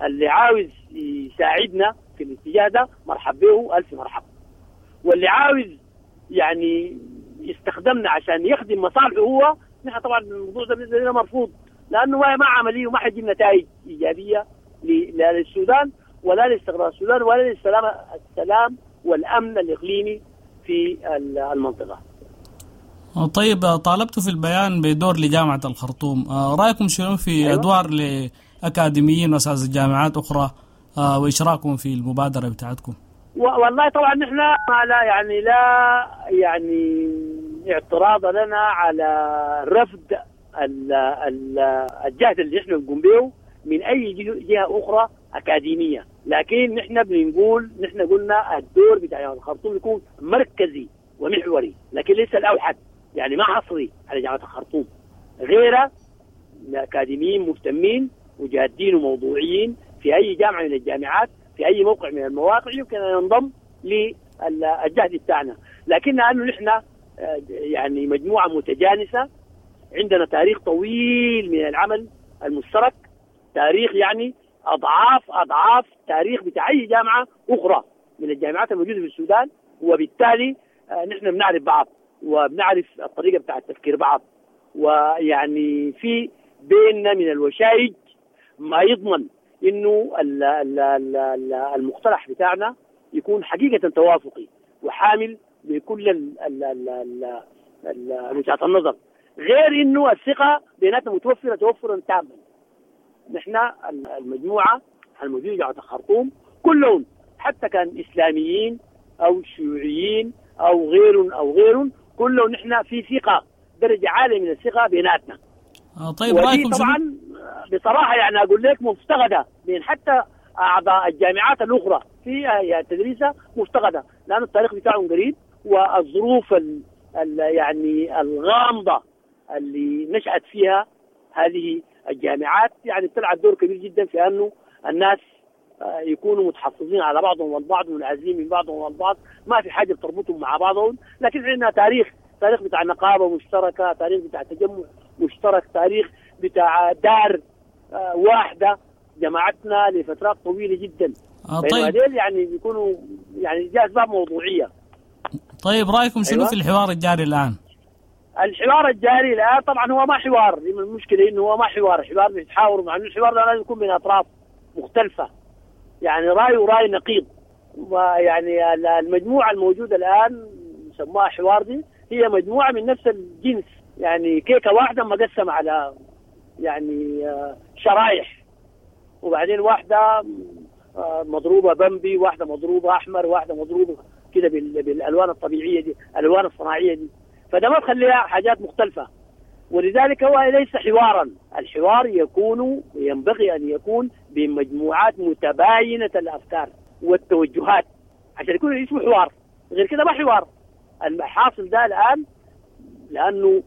اللي عاوز يساعدنا في الاتجاه ده مرحب به، ألف مرحب، واللي عاوز يعني يستخدمنا عشان يخدم مصالحه هو، نحن طبعا الموضوع ده بالنسبة لنا مرفوض، لأنه ما عمليه وما حيجيب نتائج إيجابية لا للسودان ولا لاستقرار السودان ولا للسلام السلام والأمن الإقليمي في المنطقة. طيب، طالبت في البيان بدور لجامعة الخرطوم، رأيكم شنو في أيوة؟ أدوار لأكاديميين وأساتذة جامعات أخرى وإشراكهم في المبادرة بتاعتكم؟ والله طبعا نحن لا يعني لا يعني اعتراض لنا على رفض الجهد اللي نحن نقوم به من أي جهة أخرى أكاديمية، لكن نحن بنقول، نحن قلنا الدور بتاع الخرطوم يكون مركزي ومحوري، لكن ليس الأوحد، يعني ما حصري على جامعة الخرطوم، غيره أكاديميين مهتمين وجادين وموضوعيين في أي جامعة من الجامعات في أي موقع من المواقع يمكن أن ينضم للجهد بتاعنا. لكن لأنه نحن يعني مجموعة متجانسة، عندنا تاريخ طويل من العمل المشترك، تاريخ يعني أضعاف أضعاف تاريخ بتاع أي جامعة أخرى من الجامعات الموجودة في السودان، وبالتالي نحن بنعرف بعض وبنعرف الطريقة بتاع التفكير بعض، ويعني في بيننا من الوشائج ما يضمن إنه المقترح بتاعنا يكون حقيقة توافقي وحامل لكل وجهات النظر، غير إنه الثقة بيناتنا متوفرة توفرا تاما. نحن المجموعة الموجودة جامعة الخرطوم كلهم حتى كان إسلاميين أو شيوعيين أو غير أو غير، كلهم نحن في ثقة، درجة عالية من الثقة بيناتنا. طيب رأيكم طبعا بصراحة يعني أقول لك مفتقدة بين حتى أعضاء الجامعات الأخرى في تدريسها مفتقدة، لأن التاريخ بتاعهم قريب والظروف يعني الغامضة اللي نشأت فيها هذه الجامعات يعني بتلعب دور كبير جدا في أنه الناس يكونوا متحفظين على بعضهم والبعض، منعزلين من بعضهم والبعض، ما في حاجة بتربطهم مع بعضهم، لكن عندنا تاريخ تاريخ بتاع نقابة مشتركة، تاريخ بتاع تجمع مشترك، تاريخ بتاع دار واحدة جمعتنا لفترات طويلة جدا. طيب هذول يعني بيكونوا يعني دي اسباب موضوعية. طيب رايكم شنو في الحوار الجاري الان؟ الحوار الجاري الان طبعا هو ما حوار، المشكلة انه هو ما حوار، حوار بيتحاوروا مع انه الحوار ده لازم يكون من اطراف مختلفة، يعني راي وراي نقيض. ويعني المجموعة الموجودة الان يسموها حوار دي هي مجموعة من نفس الجنس، يعني كيكة واحدة مقسمة على يعني شرايح، وبعدين واحدة مضروبة بمبي، واحدة مضروبة احمر، واحدة مضروبة كده بالالوان الطبيعية دي، الالوان الصناعية دي، فده ما تخليها حاجات مختلفة. ولذلك هو ليس حوارا، الحوار يكون ينبغي ان يكون بمجموعات متباينة الافكار والتوجهات عشان يكون اسمه حوار، غير كده ما حوار. الحاصل ده الان لانه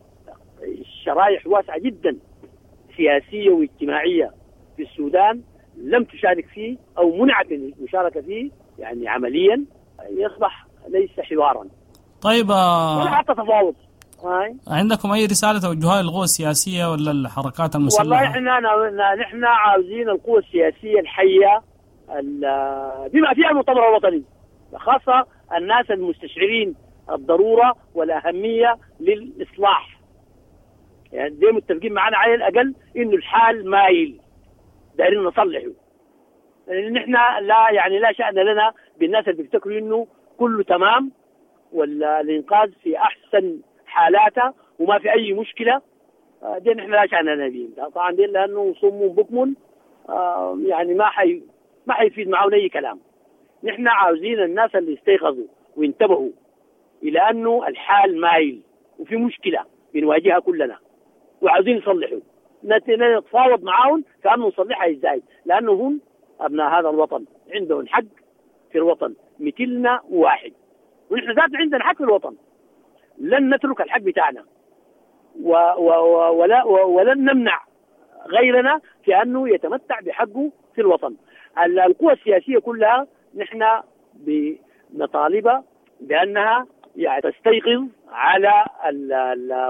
الشرايح واسعة جدا سياسية واجتماعية في السودان لم تشارك فيه او منعت المشاركة فيه يعني عمليا، يصبح ليس حوارا. طيب ولا حتى تفاوض. عندكم اي رسالة توجهها للقوى السياسية ولا الحركات المسلحة؟ والله احنا نحن عاوزين القوى السياسية الحية بما فيها المؤتمر الوطني، خاصة الناس المستشعرين الضرورة والاهميه للاصلاح. يعني دي متفقين معنا على الاقل انه الحال مايل، دايرين نصلحه. نحن لا يعني لا شأن لنا بالناس اللي بيفتكروا انه كله تمام ولا الانقاذ في احسن حالاته وما في اي مشكلة، دي نحن لا شأن لنا بهم طبعا، دي لانه صم بكم يعني ما حيفيد معاهم اي كلام. نحن عاوزين الناس اللي استيقظوا وانتبهوا الى انه الحال مايل وفي مشكلة بنواجهها كلنا وعاوزين نصلحه، نتفاوض معاهم كأنه نصلحها ازاي، لانه هم ابناء هذا الوطن، عندهم حق في الوطن مثلنا واحد، ونحن ذاتنا عندنا حق في الوطن، لن نترك الحق بتاعنا ولن نمنع غيرنا في انه يتمتع بحقه في الوطن. القوى السياسية كلها نحن بنطالبها بانها يعني تستيقظ على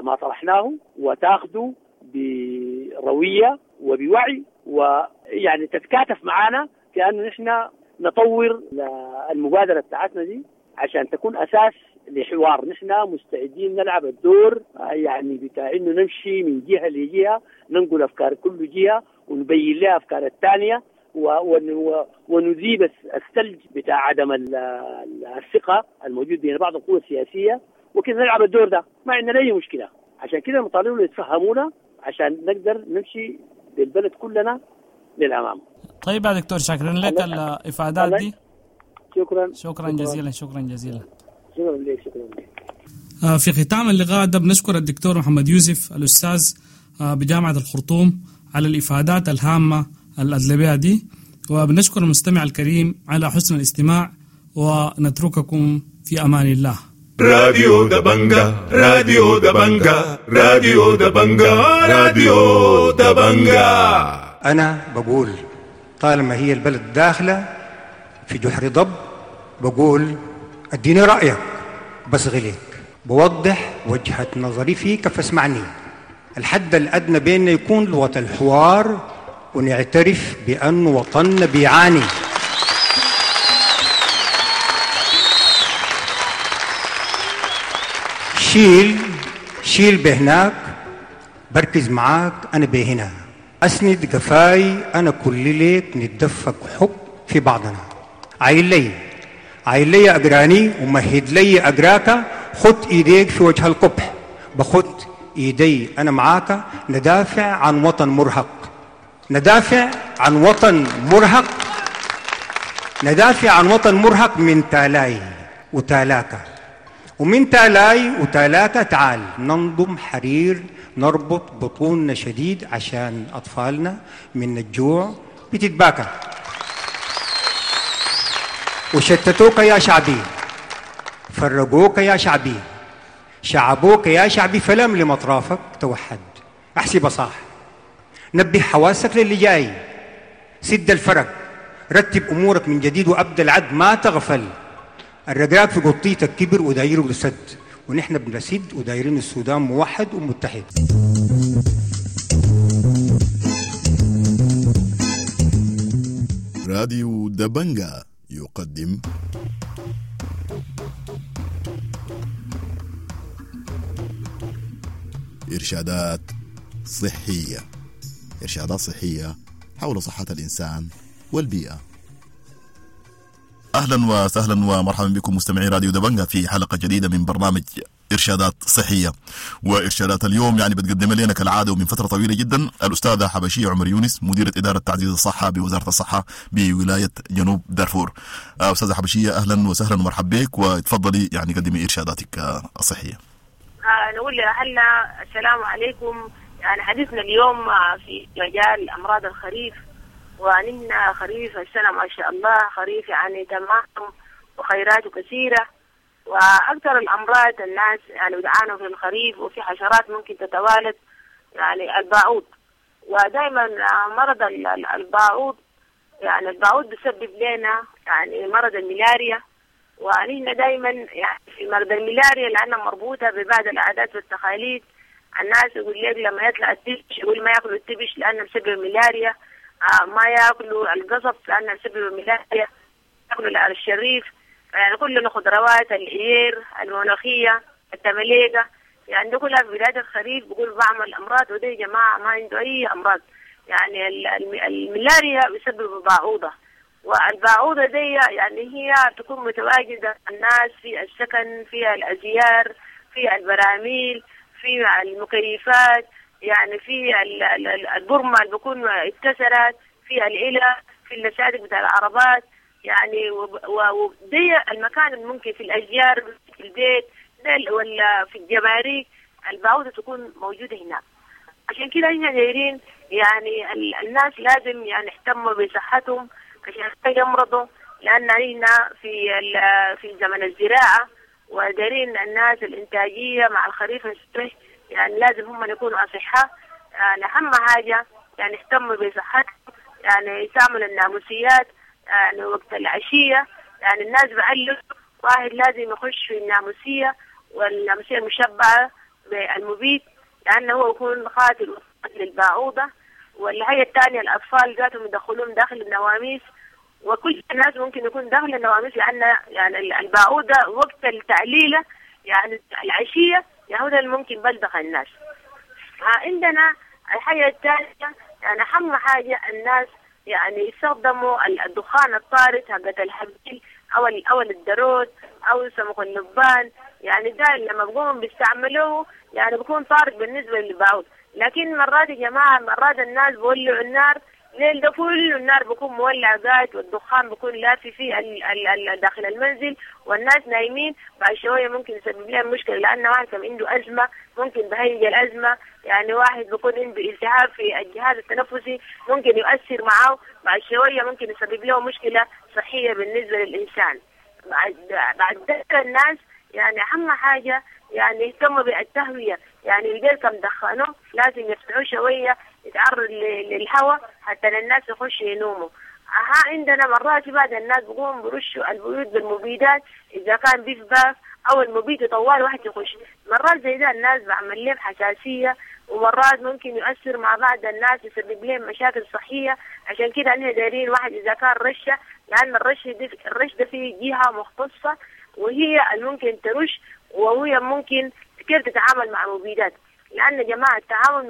ما طرحناه وتاخذه برويه وبوعي، ويعني تتكاتف معنا في انه نحن نطور المبادرة بتاعتنا دي عشان تكون اساس لحوار. نحن مستعدين نلعب الدور يعني بتاع انه نمشي من جهة لجهة، ننقل افكار كل جهة ونبين لها افكار الثانية، ونذيب الثلج بتاع عدم الثقة الموجود بين بعض القوى السياسية وكذا نلعب الدور ده، ما عندنا اي مشكلة. عشان كده نطالبهم يتفهمونا عشان نقدر نمشي بالبلد كلنا للامام. طيب يا دكتور، شكرا لك الافادات دي. شكرا شكرا جزيلا. شكرا جزيلا. شكرا لك. شكرا لك. في ختام اللقاء ده بنشكر الدكتور محمد يوسف الاستاذ بجامعة الخرطوم على الافادات الهامة الادلبيه دي، وبنشكر المستمع الكريم على حسن الاستماع، ونترككم في امان الله. راديو دبنجا، راديو دبنجا، راديو دبنجا، راديو دبنجا. أنا بقول طالما هي البلد داخلة في جحر ضب، بقول اديني رأيك بس غليك، بوضح وجهة نظري فيك فاسمعني. الحد الأدنى بيننا يكون لغة الحوار، ونعترف بأن وطننا بيعاني. شيل شيل بهناك، بركز معاك أنا بهنا، أسند قفاي أنا كل ليك، نتدفق حب في بعضنا. عايل لي عايل لي أقراني ومهد لي أقراك، خد إيديك في وجه القبح، بخد إيدي أنا معاك، ندافع عن وطن مرهق، ندافع عن وطن مرهق، ندافع عن وطن مرهق من تالاي وتالاك، ومن تالاي وتالاك تعال ننضم حرير، نربط بطوننا شديد عشان أطفالنا من الجوع بتتباكى. وشتتوك يا شعبي، فرقوك يا شعبي، شعبوك يا شعبي، فلم لمطرافك توحد. أحسب صح، نبه حواسك للي جاي، سد الفرق، رتب أمورك من جديد وأبدأ العد، ما تغفل. الرقاق في قطيتك كبر ودايره لسد، ونحن بنسد ودايرين السودان موحد ومتحد. راديو دبنجا يقدم إرشادات صحية. إرشادات صحية حول صحة الإنسان والبيئة. أهلا وسهلا ومرحبا بكم مستمعي راديو دبنجا في حلقة جديدة من برنامج إرشادات صحية. وإرشادات اليوم يعني بتقدم لنا كالعادة ومن فترة طويلة جدا الأستاذة حبشية عمر يونس، مديرة إدارة تعزيز الصحة بوزارة الصحة بولاية جنوب دارفور. أستاذة حبشية، أهلا وسهلا ومرحبا بك، وتفضلي يعني قدمي إرشاداتك الصحية. نقول لأهلنا السلام عليكم. يعني حديثنا اليوم في مجال أمراض الخريف، ونحن خريف السنة ما شاء الله خريف يعني تمام وخيراته كثيرة، وأكثر الأمراض الناس يعني بيعانوا في الخريف، وفي حشرات ممكن تتوالد يعني الباعوض. ودائما مرض الباعوض، يعني الباعوض بيسبب لنا يعني مرض الملاريا، ونحن دائما يعني في مرض الملاريا لأنها مربوطة ببعض العادات والتقاليد. الناس يقول لك لما يطلع التبش يقول ما ياكلوا التبش لأنه بسبب الملاريا، ما ياكلوا القصب لأنه بسبب الملاريا، ياكلوا الشريف، يعني كل الخضروات، العير، المناخية، التمليقة، يعني ده كلها في بداية الخريف بيقول بعمل أمراض. وده يا جماعة ما عنده أي أمراض. يعني الملاريا بسبب باعوضة، والباعوضة دي يعني هي تكون متواجدة الناس في السكن، في الأزيار، في البراميل، في المكيفات، يعني في البرمة اللي بيكون اتكسرت، في العلة، في اللساتك بتاع العربات، يعني ودي المكان اللي ممكن في الأشجار، في البيت ولا في الجباري الباعوضة تكون موجودة هناك. عشان كده احنا دايرين يعني الناس لازم يعني يهتموا بصحتهم عشان ما يمرضوا، لأن هنا في زمن الزراعة، ودارين الناس الإنتاجية مع الخريف الصبح، يعني لازم هم يكونوا أصحاء. يعني أهم حاجة يعني يهتموا بصحتهم، يعني يستعملوا الناموسيات يعني وقت العشية. يعني الناس بعلوا واحد لازم يخش في الناموسية، والناموسية المشبعة بالمبيد لأنه هو يكون قاتل للباعوضة. والحاجة الثانية الأطفال ذاتهم يدخلون داخل النواميس، وكل الناس ممكن يكون داخل النواميس، لأن يعني الباعوضة وقت التعليلة يعني العشية يهودا ممكن بلدغ الناس. عندنا الحاجة الثانية يعني أهم حاجة الناس يعني يستخدموا الدخان الطارد حقت الحبيل أو الدروت أو سمك اللبان، يعني ده لما بقوموا بيستعملوه يعني بيكون طارد بالنسبة للباعوض. لكن مرات يا جماعة مرات الناس بيولعوا النار الليل ده كله، النار بيكون مولع قاعد والدخان بيكون لافي فيه داخل المنزل والناس نايمين. بعد شوية ممكن يسبب لهم مشكلة، لأن واحد كان عنده أزمة ممكن بهيج الأزمة، يعني واحد بيكون عنده التهاب في الجهاز التنفسي ممكن يؤثر معه، بعد شوية ممكن يسبب له مشكلة صحية بالنسبة للإنسان. بعد ذلك الناس يعني أهم حاجة يعني يهتموا بالتهوية، يعني البيت كم دخنوه لازم يفتحوه شوية يتعرض للهواء حتى الناس يخشوا ينوموا. عندنا مرات بعض الناس بيقوموا برشوا البيوت بالمبيدات، إذا كان بيف باف أو المبيد طوال واحد يخش. مرات زي ده الناس بعمل لهم حساسية، ومرات ممكن يؤثر مع بعض الناس يسبب لهم مشاكل صحية. عشان كده احنا دايرين واحد إذا كان رشة، لأن الرش ده فيه جهة مختصة وهي اللي ممكن ترش، وهي ممكن كيف تتعامل مع المبيدات، لأن جماعة التعامل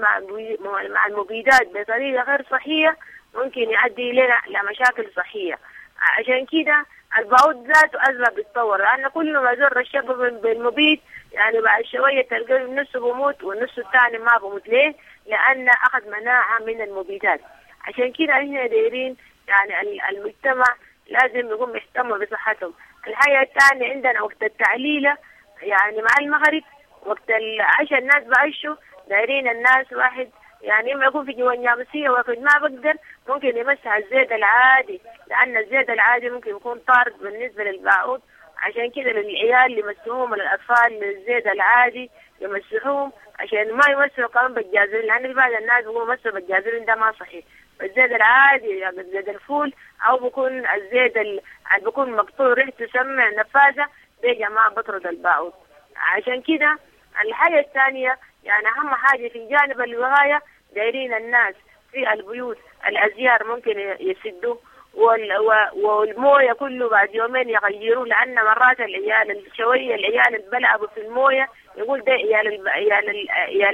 مع المبيدات بطريقة غير صحية ممكن يؤدي لنا لمشاكل صحية. عشان كده البعوض ذاته أزمة بتتطور، لأن كل ما زر الشباب بالمبيد يعني بعد شوية تلقى النص بموت والنص الثاني ما بموت. ليه؟ لأن أخذ مناعة من المبيدات. عشان كده احنا دايرين يعني المجتمع لازم يقوم يهتم بصحتهم. الحاجة الثانية عندنا وقت التعليلة يعني مع المغرب وقت العشاء الناس بعيشوا، دايرين الناس واحد يعني إما يكون في جوا الناموسية وقت ما بقدر ممكن يمسح الزيت العادي، لأن الزيت العادي ممكن يكون طارد بالنسبة للباعوض. عشان كده للعيال اللي يمسحوهم، للأطفال الزيت العادي يمسحوهم عشان ما يمسحوا كمان بالجازولين، لأن في بعض الناس بيقولوا مسحوا بالجازولين ده ما صحيح. الزيت العادي يعني زيت الفول أو بيكون الزيت اللي بيكون مقطوع ريحته سمع نفاذة، ده يا جماعة بطرد الباعوض. عشان كده الحاجة الثانية يعني أهم حاجة في جانب الوقاية دايرين الناس في البيوت الأزيار ممكن يسدوه والمويه كله بعد يومين يغيروه، لأن مرات العيال شوية العيال اللي بلعبوا في المويه يقول ده عيال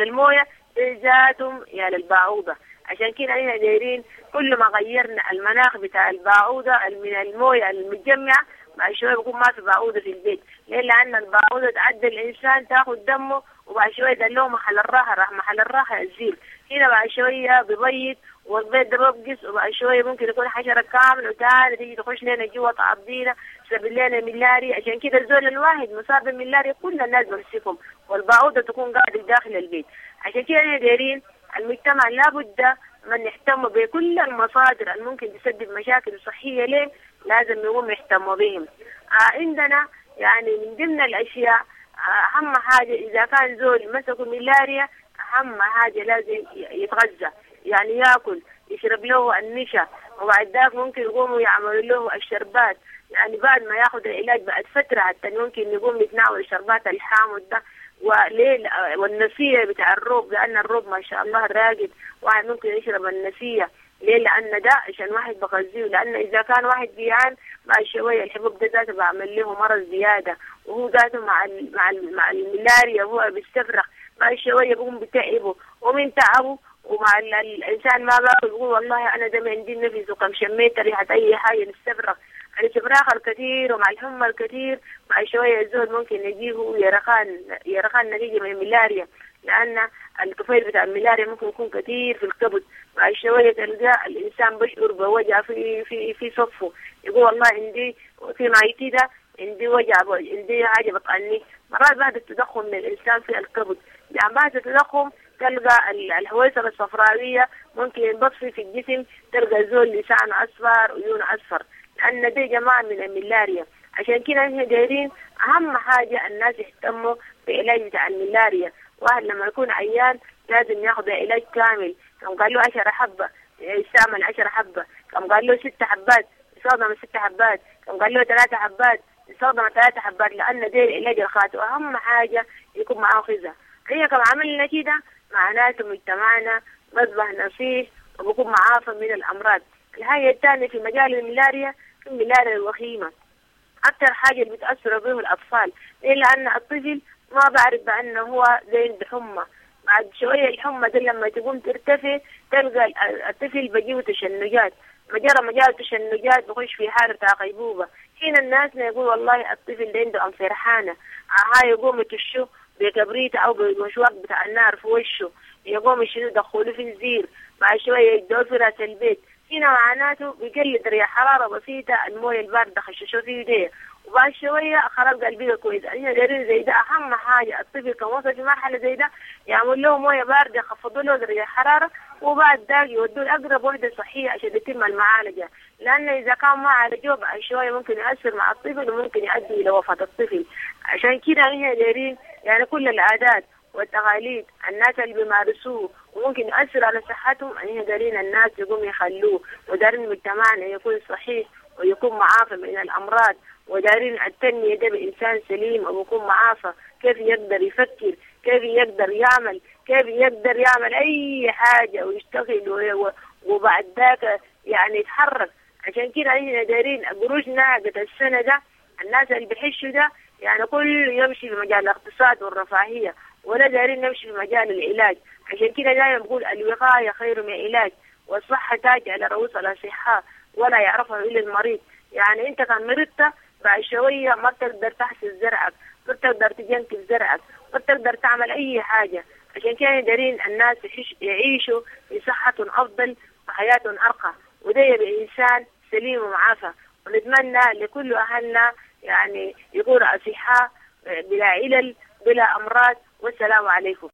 المويه ده ذاتهم عيال الباعوضة. عشان كده احنا دايرين كل ما غيرنا المناخ بتاع الباعوضة من المويه المتجمعة بعد شوية بيكون ما في باعوضة في البيت. ليه؟ لأن الباعوضة تعدي الإنسان تاخد دمه وبعد شوية دلوه محل الراحة، راح محل الراحة يزيل هنا بعد شوية بيبيض والبيض ده بيبقس، وبعد شوية ممكن يكون حشرة كاملة وتاني تيجي تخش لنا جوا تعضينا تسبب لنا ملاريا. عشان كده الزول الواحد مصاب بالملاريا كل الناس بمسكهم، والباعوضة تكون قاعدة داخل البيت. عشان كده احنا دايرين المجتمع لابد من يهتم بكل المصادر اللي ممكن تسبب مشاكل صحية ليه لازم يقوم يهتموا بهم. عندنا يعني من ضمن الأشياء أهم حاجة إذا كان زول مسكه ملاريا أهم حاجة لازم يتغذى، يعني ياكل يشرب له النشا، وبعد ذاك ممكن يقوموا يعملوا له الشربات، يعني بعد ما ياخذ العلاج بعد فترة حتى ممكن يقوم يتناول الشربات الحامض ده. وليه؟ والنسية بتاع الروب، لأن الروب ما شاء الله راقد، واحد ممكن يشرب النسية. ليه؟ لأن ده عشان واحد بغذيه، لأن إذا كان واحد جيعان بعد شوية الحبوب ده ذاته بعمل له مرض زيادة، وهو ذاته مع الملاريا هو بيستفرغ بعد شوية بيقوم بتعبه، ومن تعبه ومع الإنسان ما باكل بيقول والله أنا ده ما عندي نفس وكم شميت ريحة أي حاجة نستفرغ. الاستفراغ الكثير ومع الحمى الكثير بعد شوية الزول ممكن يجيه يرخان نتيجة من الملاريا، لأن الطفيل بتاع الملاريا ممكن يكون كثير في الكبد. بعد شوية تلقى الإنسان بيشعر بوجع في في في صفه، يقول والله عندي في معيتي ده عندي وجع، عندي حاجة بطعني. مرات بعد التضخم من الإنسان في الكبد، يعني بعد التضخم تلقى الحويصلة الصفراوية ممكن ينبطفي في الجسم، تلقى زول لسانه أصفر وعيونه أصفر، لأن دي جماعة من الملاريا. عشان كده احنا دايرين أهم حاجة الناس يهتموا بعلاج بتاع الملاريا. واحد لما يكون عيان لازم ياخذ علاج كامل، كم قال له 10 حبة يستعمل 10 حبة، كم قال له 6 حبات يستخدم 6 حبات، كم قال له 3 حبات يستخدم 3 حبات، لأن ده العلاج الخاطئ. وأهم حاجة يكون معاه غذاء. هي كم عملنا كده معناته مجتمعنا مصبح نصيح وبكون معافى من الأمراض. الحاجة الثانية في مجال الملاريا، في الملاريا الوخيمة أكثر حاجة اللي بتأثر به الأطفال. ليه؟ لأن الطفل ما بعرف بأنه هو زي بحمى، بعد شوية الحمى دي لما تقوم ترتفع تلقى الطفل بيجيه تشنجات، مجرد ما جاله تشنجات بخش في حالة بتاع غيبوبة. هنا الناس يقول والله الطفل ده عنده أنفرحانة، هاي يقوم يتشو بكبريت أو بمشواق بتاع النار في وشه، يقوم يشيلوا يدخلوه في الزير، بعد شوية يدوه في راس البيت. هنا معناته بيقل درجة حرارة بسيطة، الموية الباردة خششوه في ايديه، وبعد شوية خلاص قلبي كويس. احنا دايرين زي ده أهم حاجة الطفل كان وصل في مرحلة زي ده يعمل له موية باردة، يخفضوا له درجة الحرارة، وبعد ذاك يودوه لأقرب وحدة صحية عشان يتم المعالجة، لأن إذا كان ما عالجوه بعد شوية ممكن يأثر مع الطفل وممكن يؤدي إلى وفاة الطفل. عشان كده احنا دايرين يعني كل العادات والتقاليد الناس اللي بيمارسوه وممكن يؤثر على صحتهم، احنا دارين الناس يقوم يخلوه، ودارين مجتمعنا يكون صحيح ويكون معافى من الأمراض، ودارين التنمية ده بإنسان سليم ويكون معافى، كيف يقدر يفكر، كيف يقدر يعمل، كيف يقدر يعمل أي حاجة ويشتغل وبعد ذاك يعني يتحرك. عشان كده احنا دارين قروشنا قد السنة ده الناس اللي بيحشوا ده يعني كل يمشي في مجال الاقتصاد والرفاهية، ولا دارين نمشي في مجال العلاج. عشان كده دائما بقول الوقاية خير من العلاج، والصحة تاج على رؤوس الأصحاء ولا يعرفها إلا المريض. يعني أنت كان مرضت بعد شوية ما بتقدر تحسس زرعك، ما بتقدر تجنكب زرعك، ما بتقدر تعمل أي حاجة. عشان كده دارين الناس يعيشوا في صحة أفضل وحياة أرقى، وده يبقى إنسان سليم ومعافى. ونتمنى لكل أهلنا يعني يكونوا أصحاء بلا علل بلا أمراض. والسلام عليكم.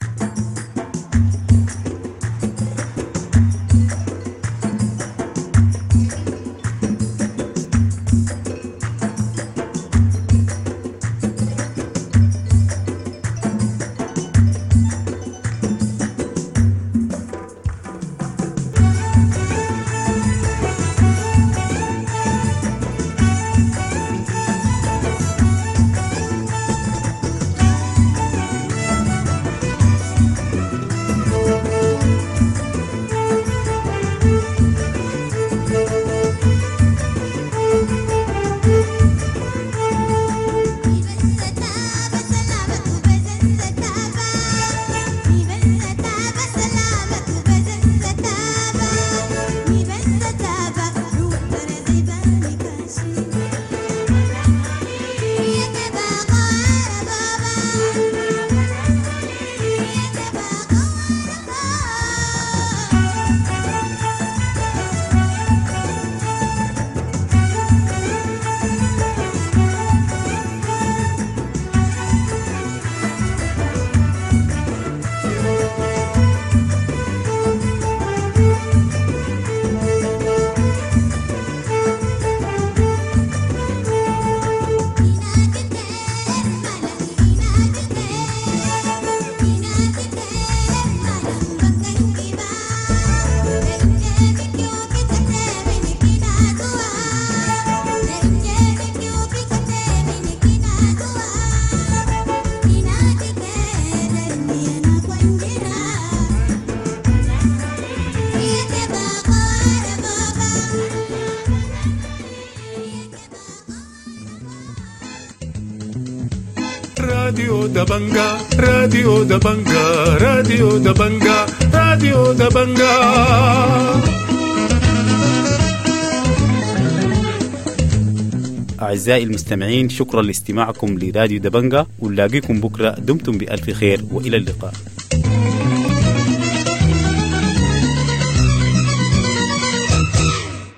راديو دبنجا، راديو دبنجا، راديو دبنجا، راديو دبنجا. أعزائي المستمعين، شكرا لاستماعكم لراديو دبنجا، ونلاقيكم بكرة. دمتم بألف خير وإلى اللقاء.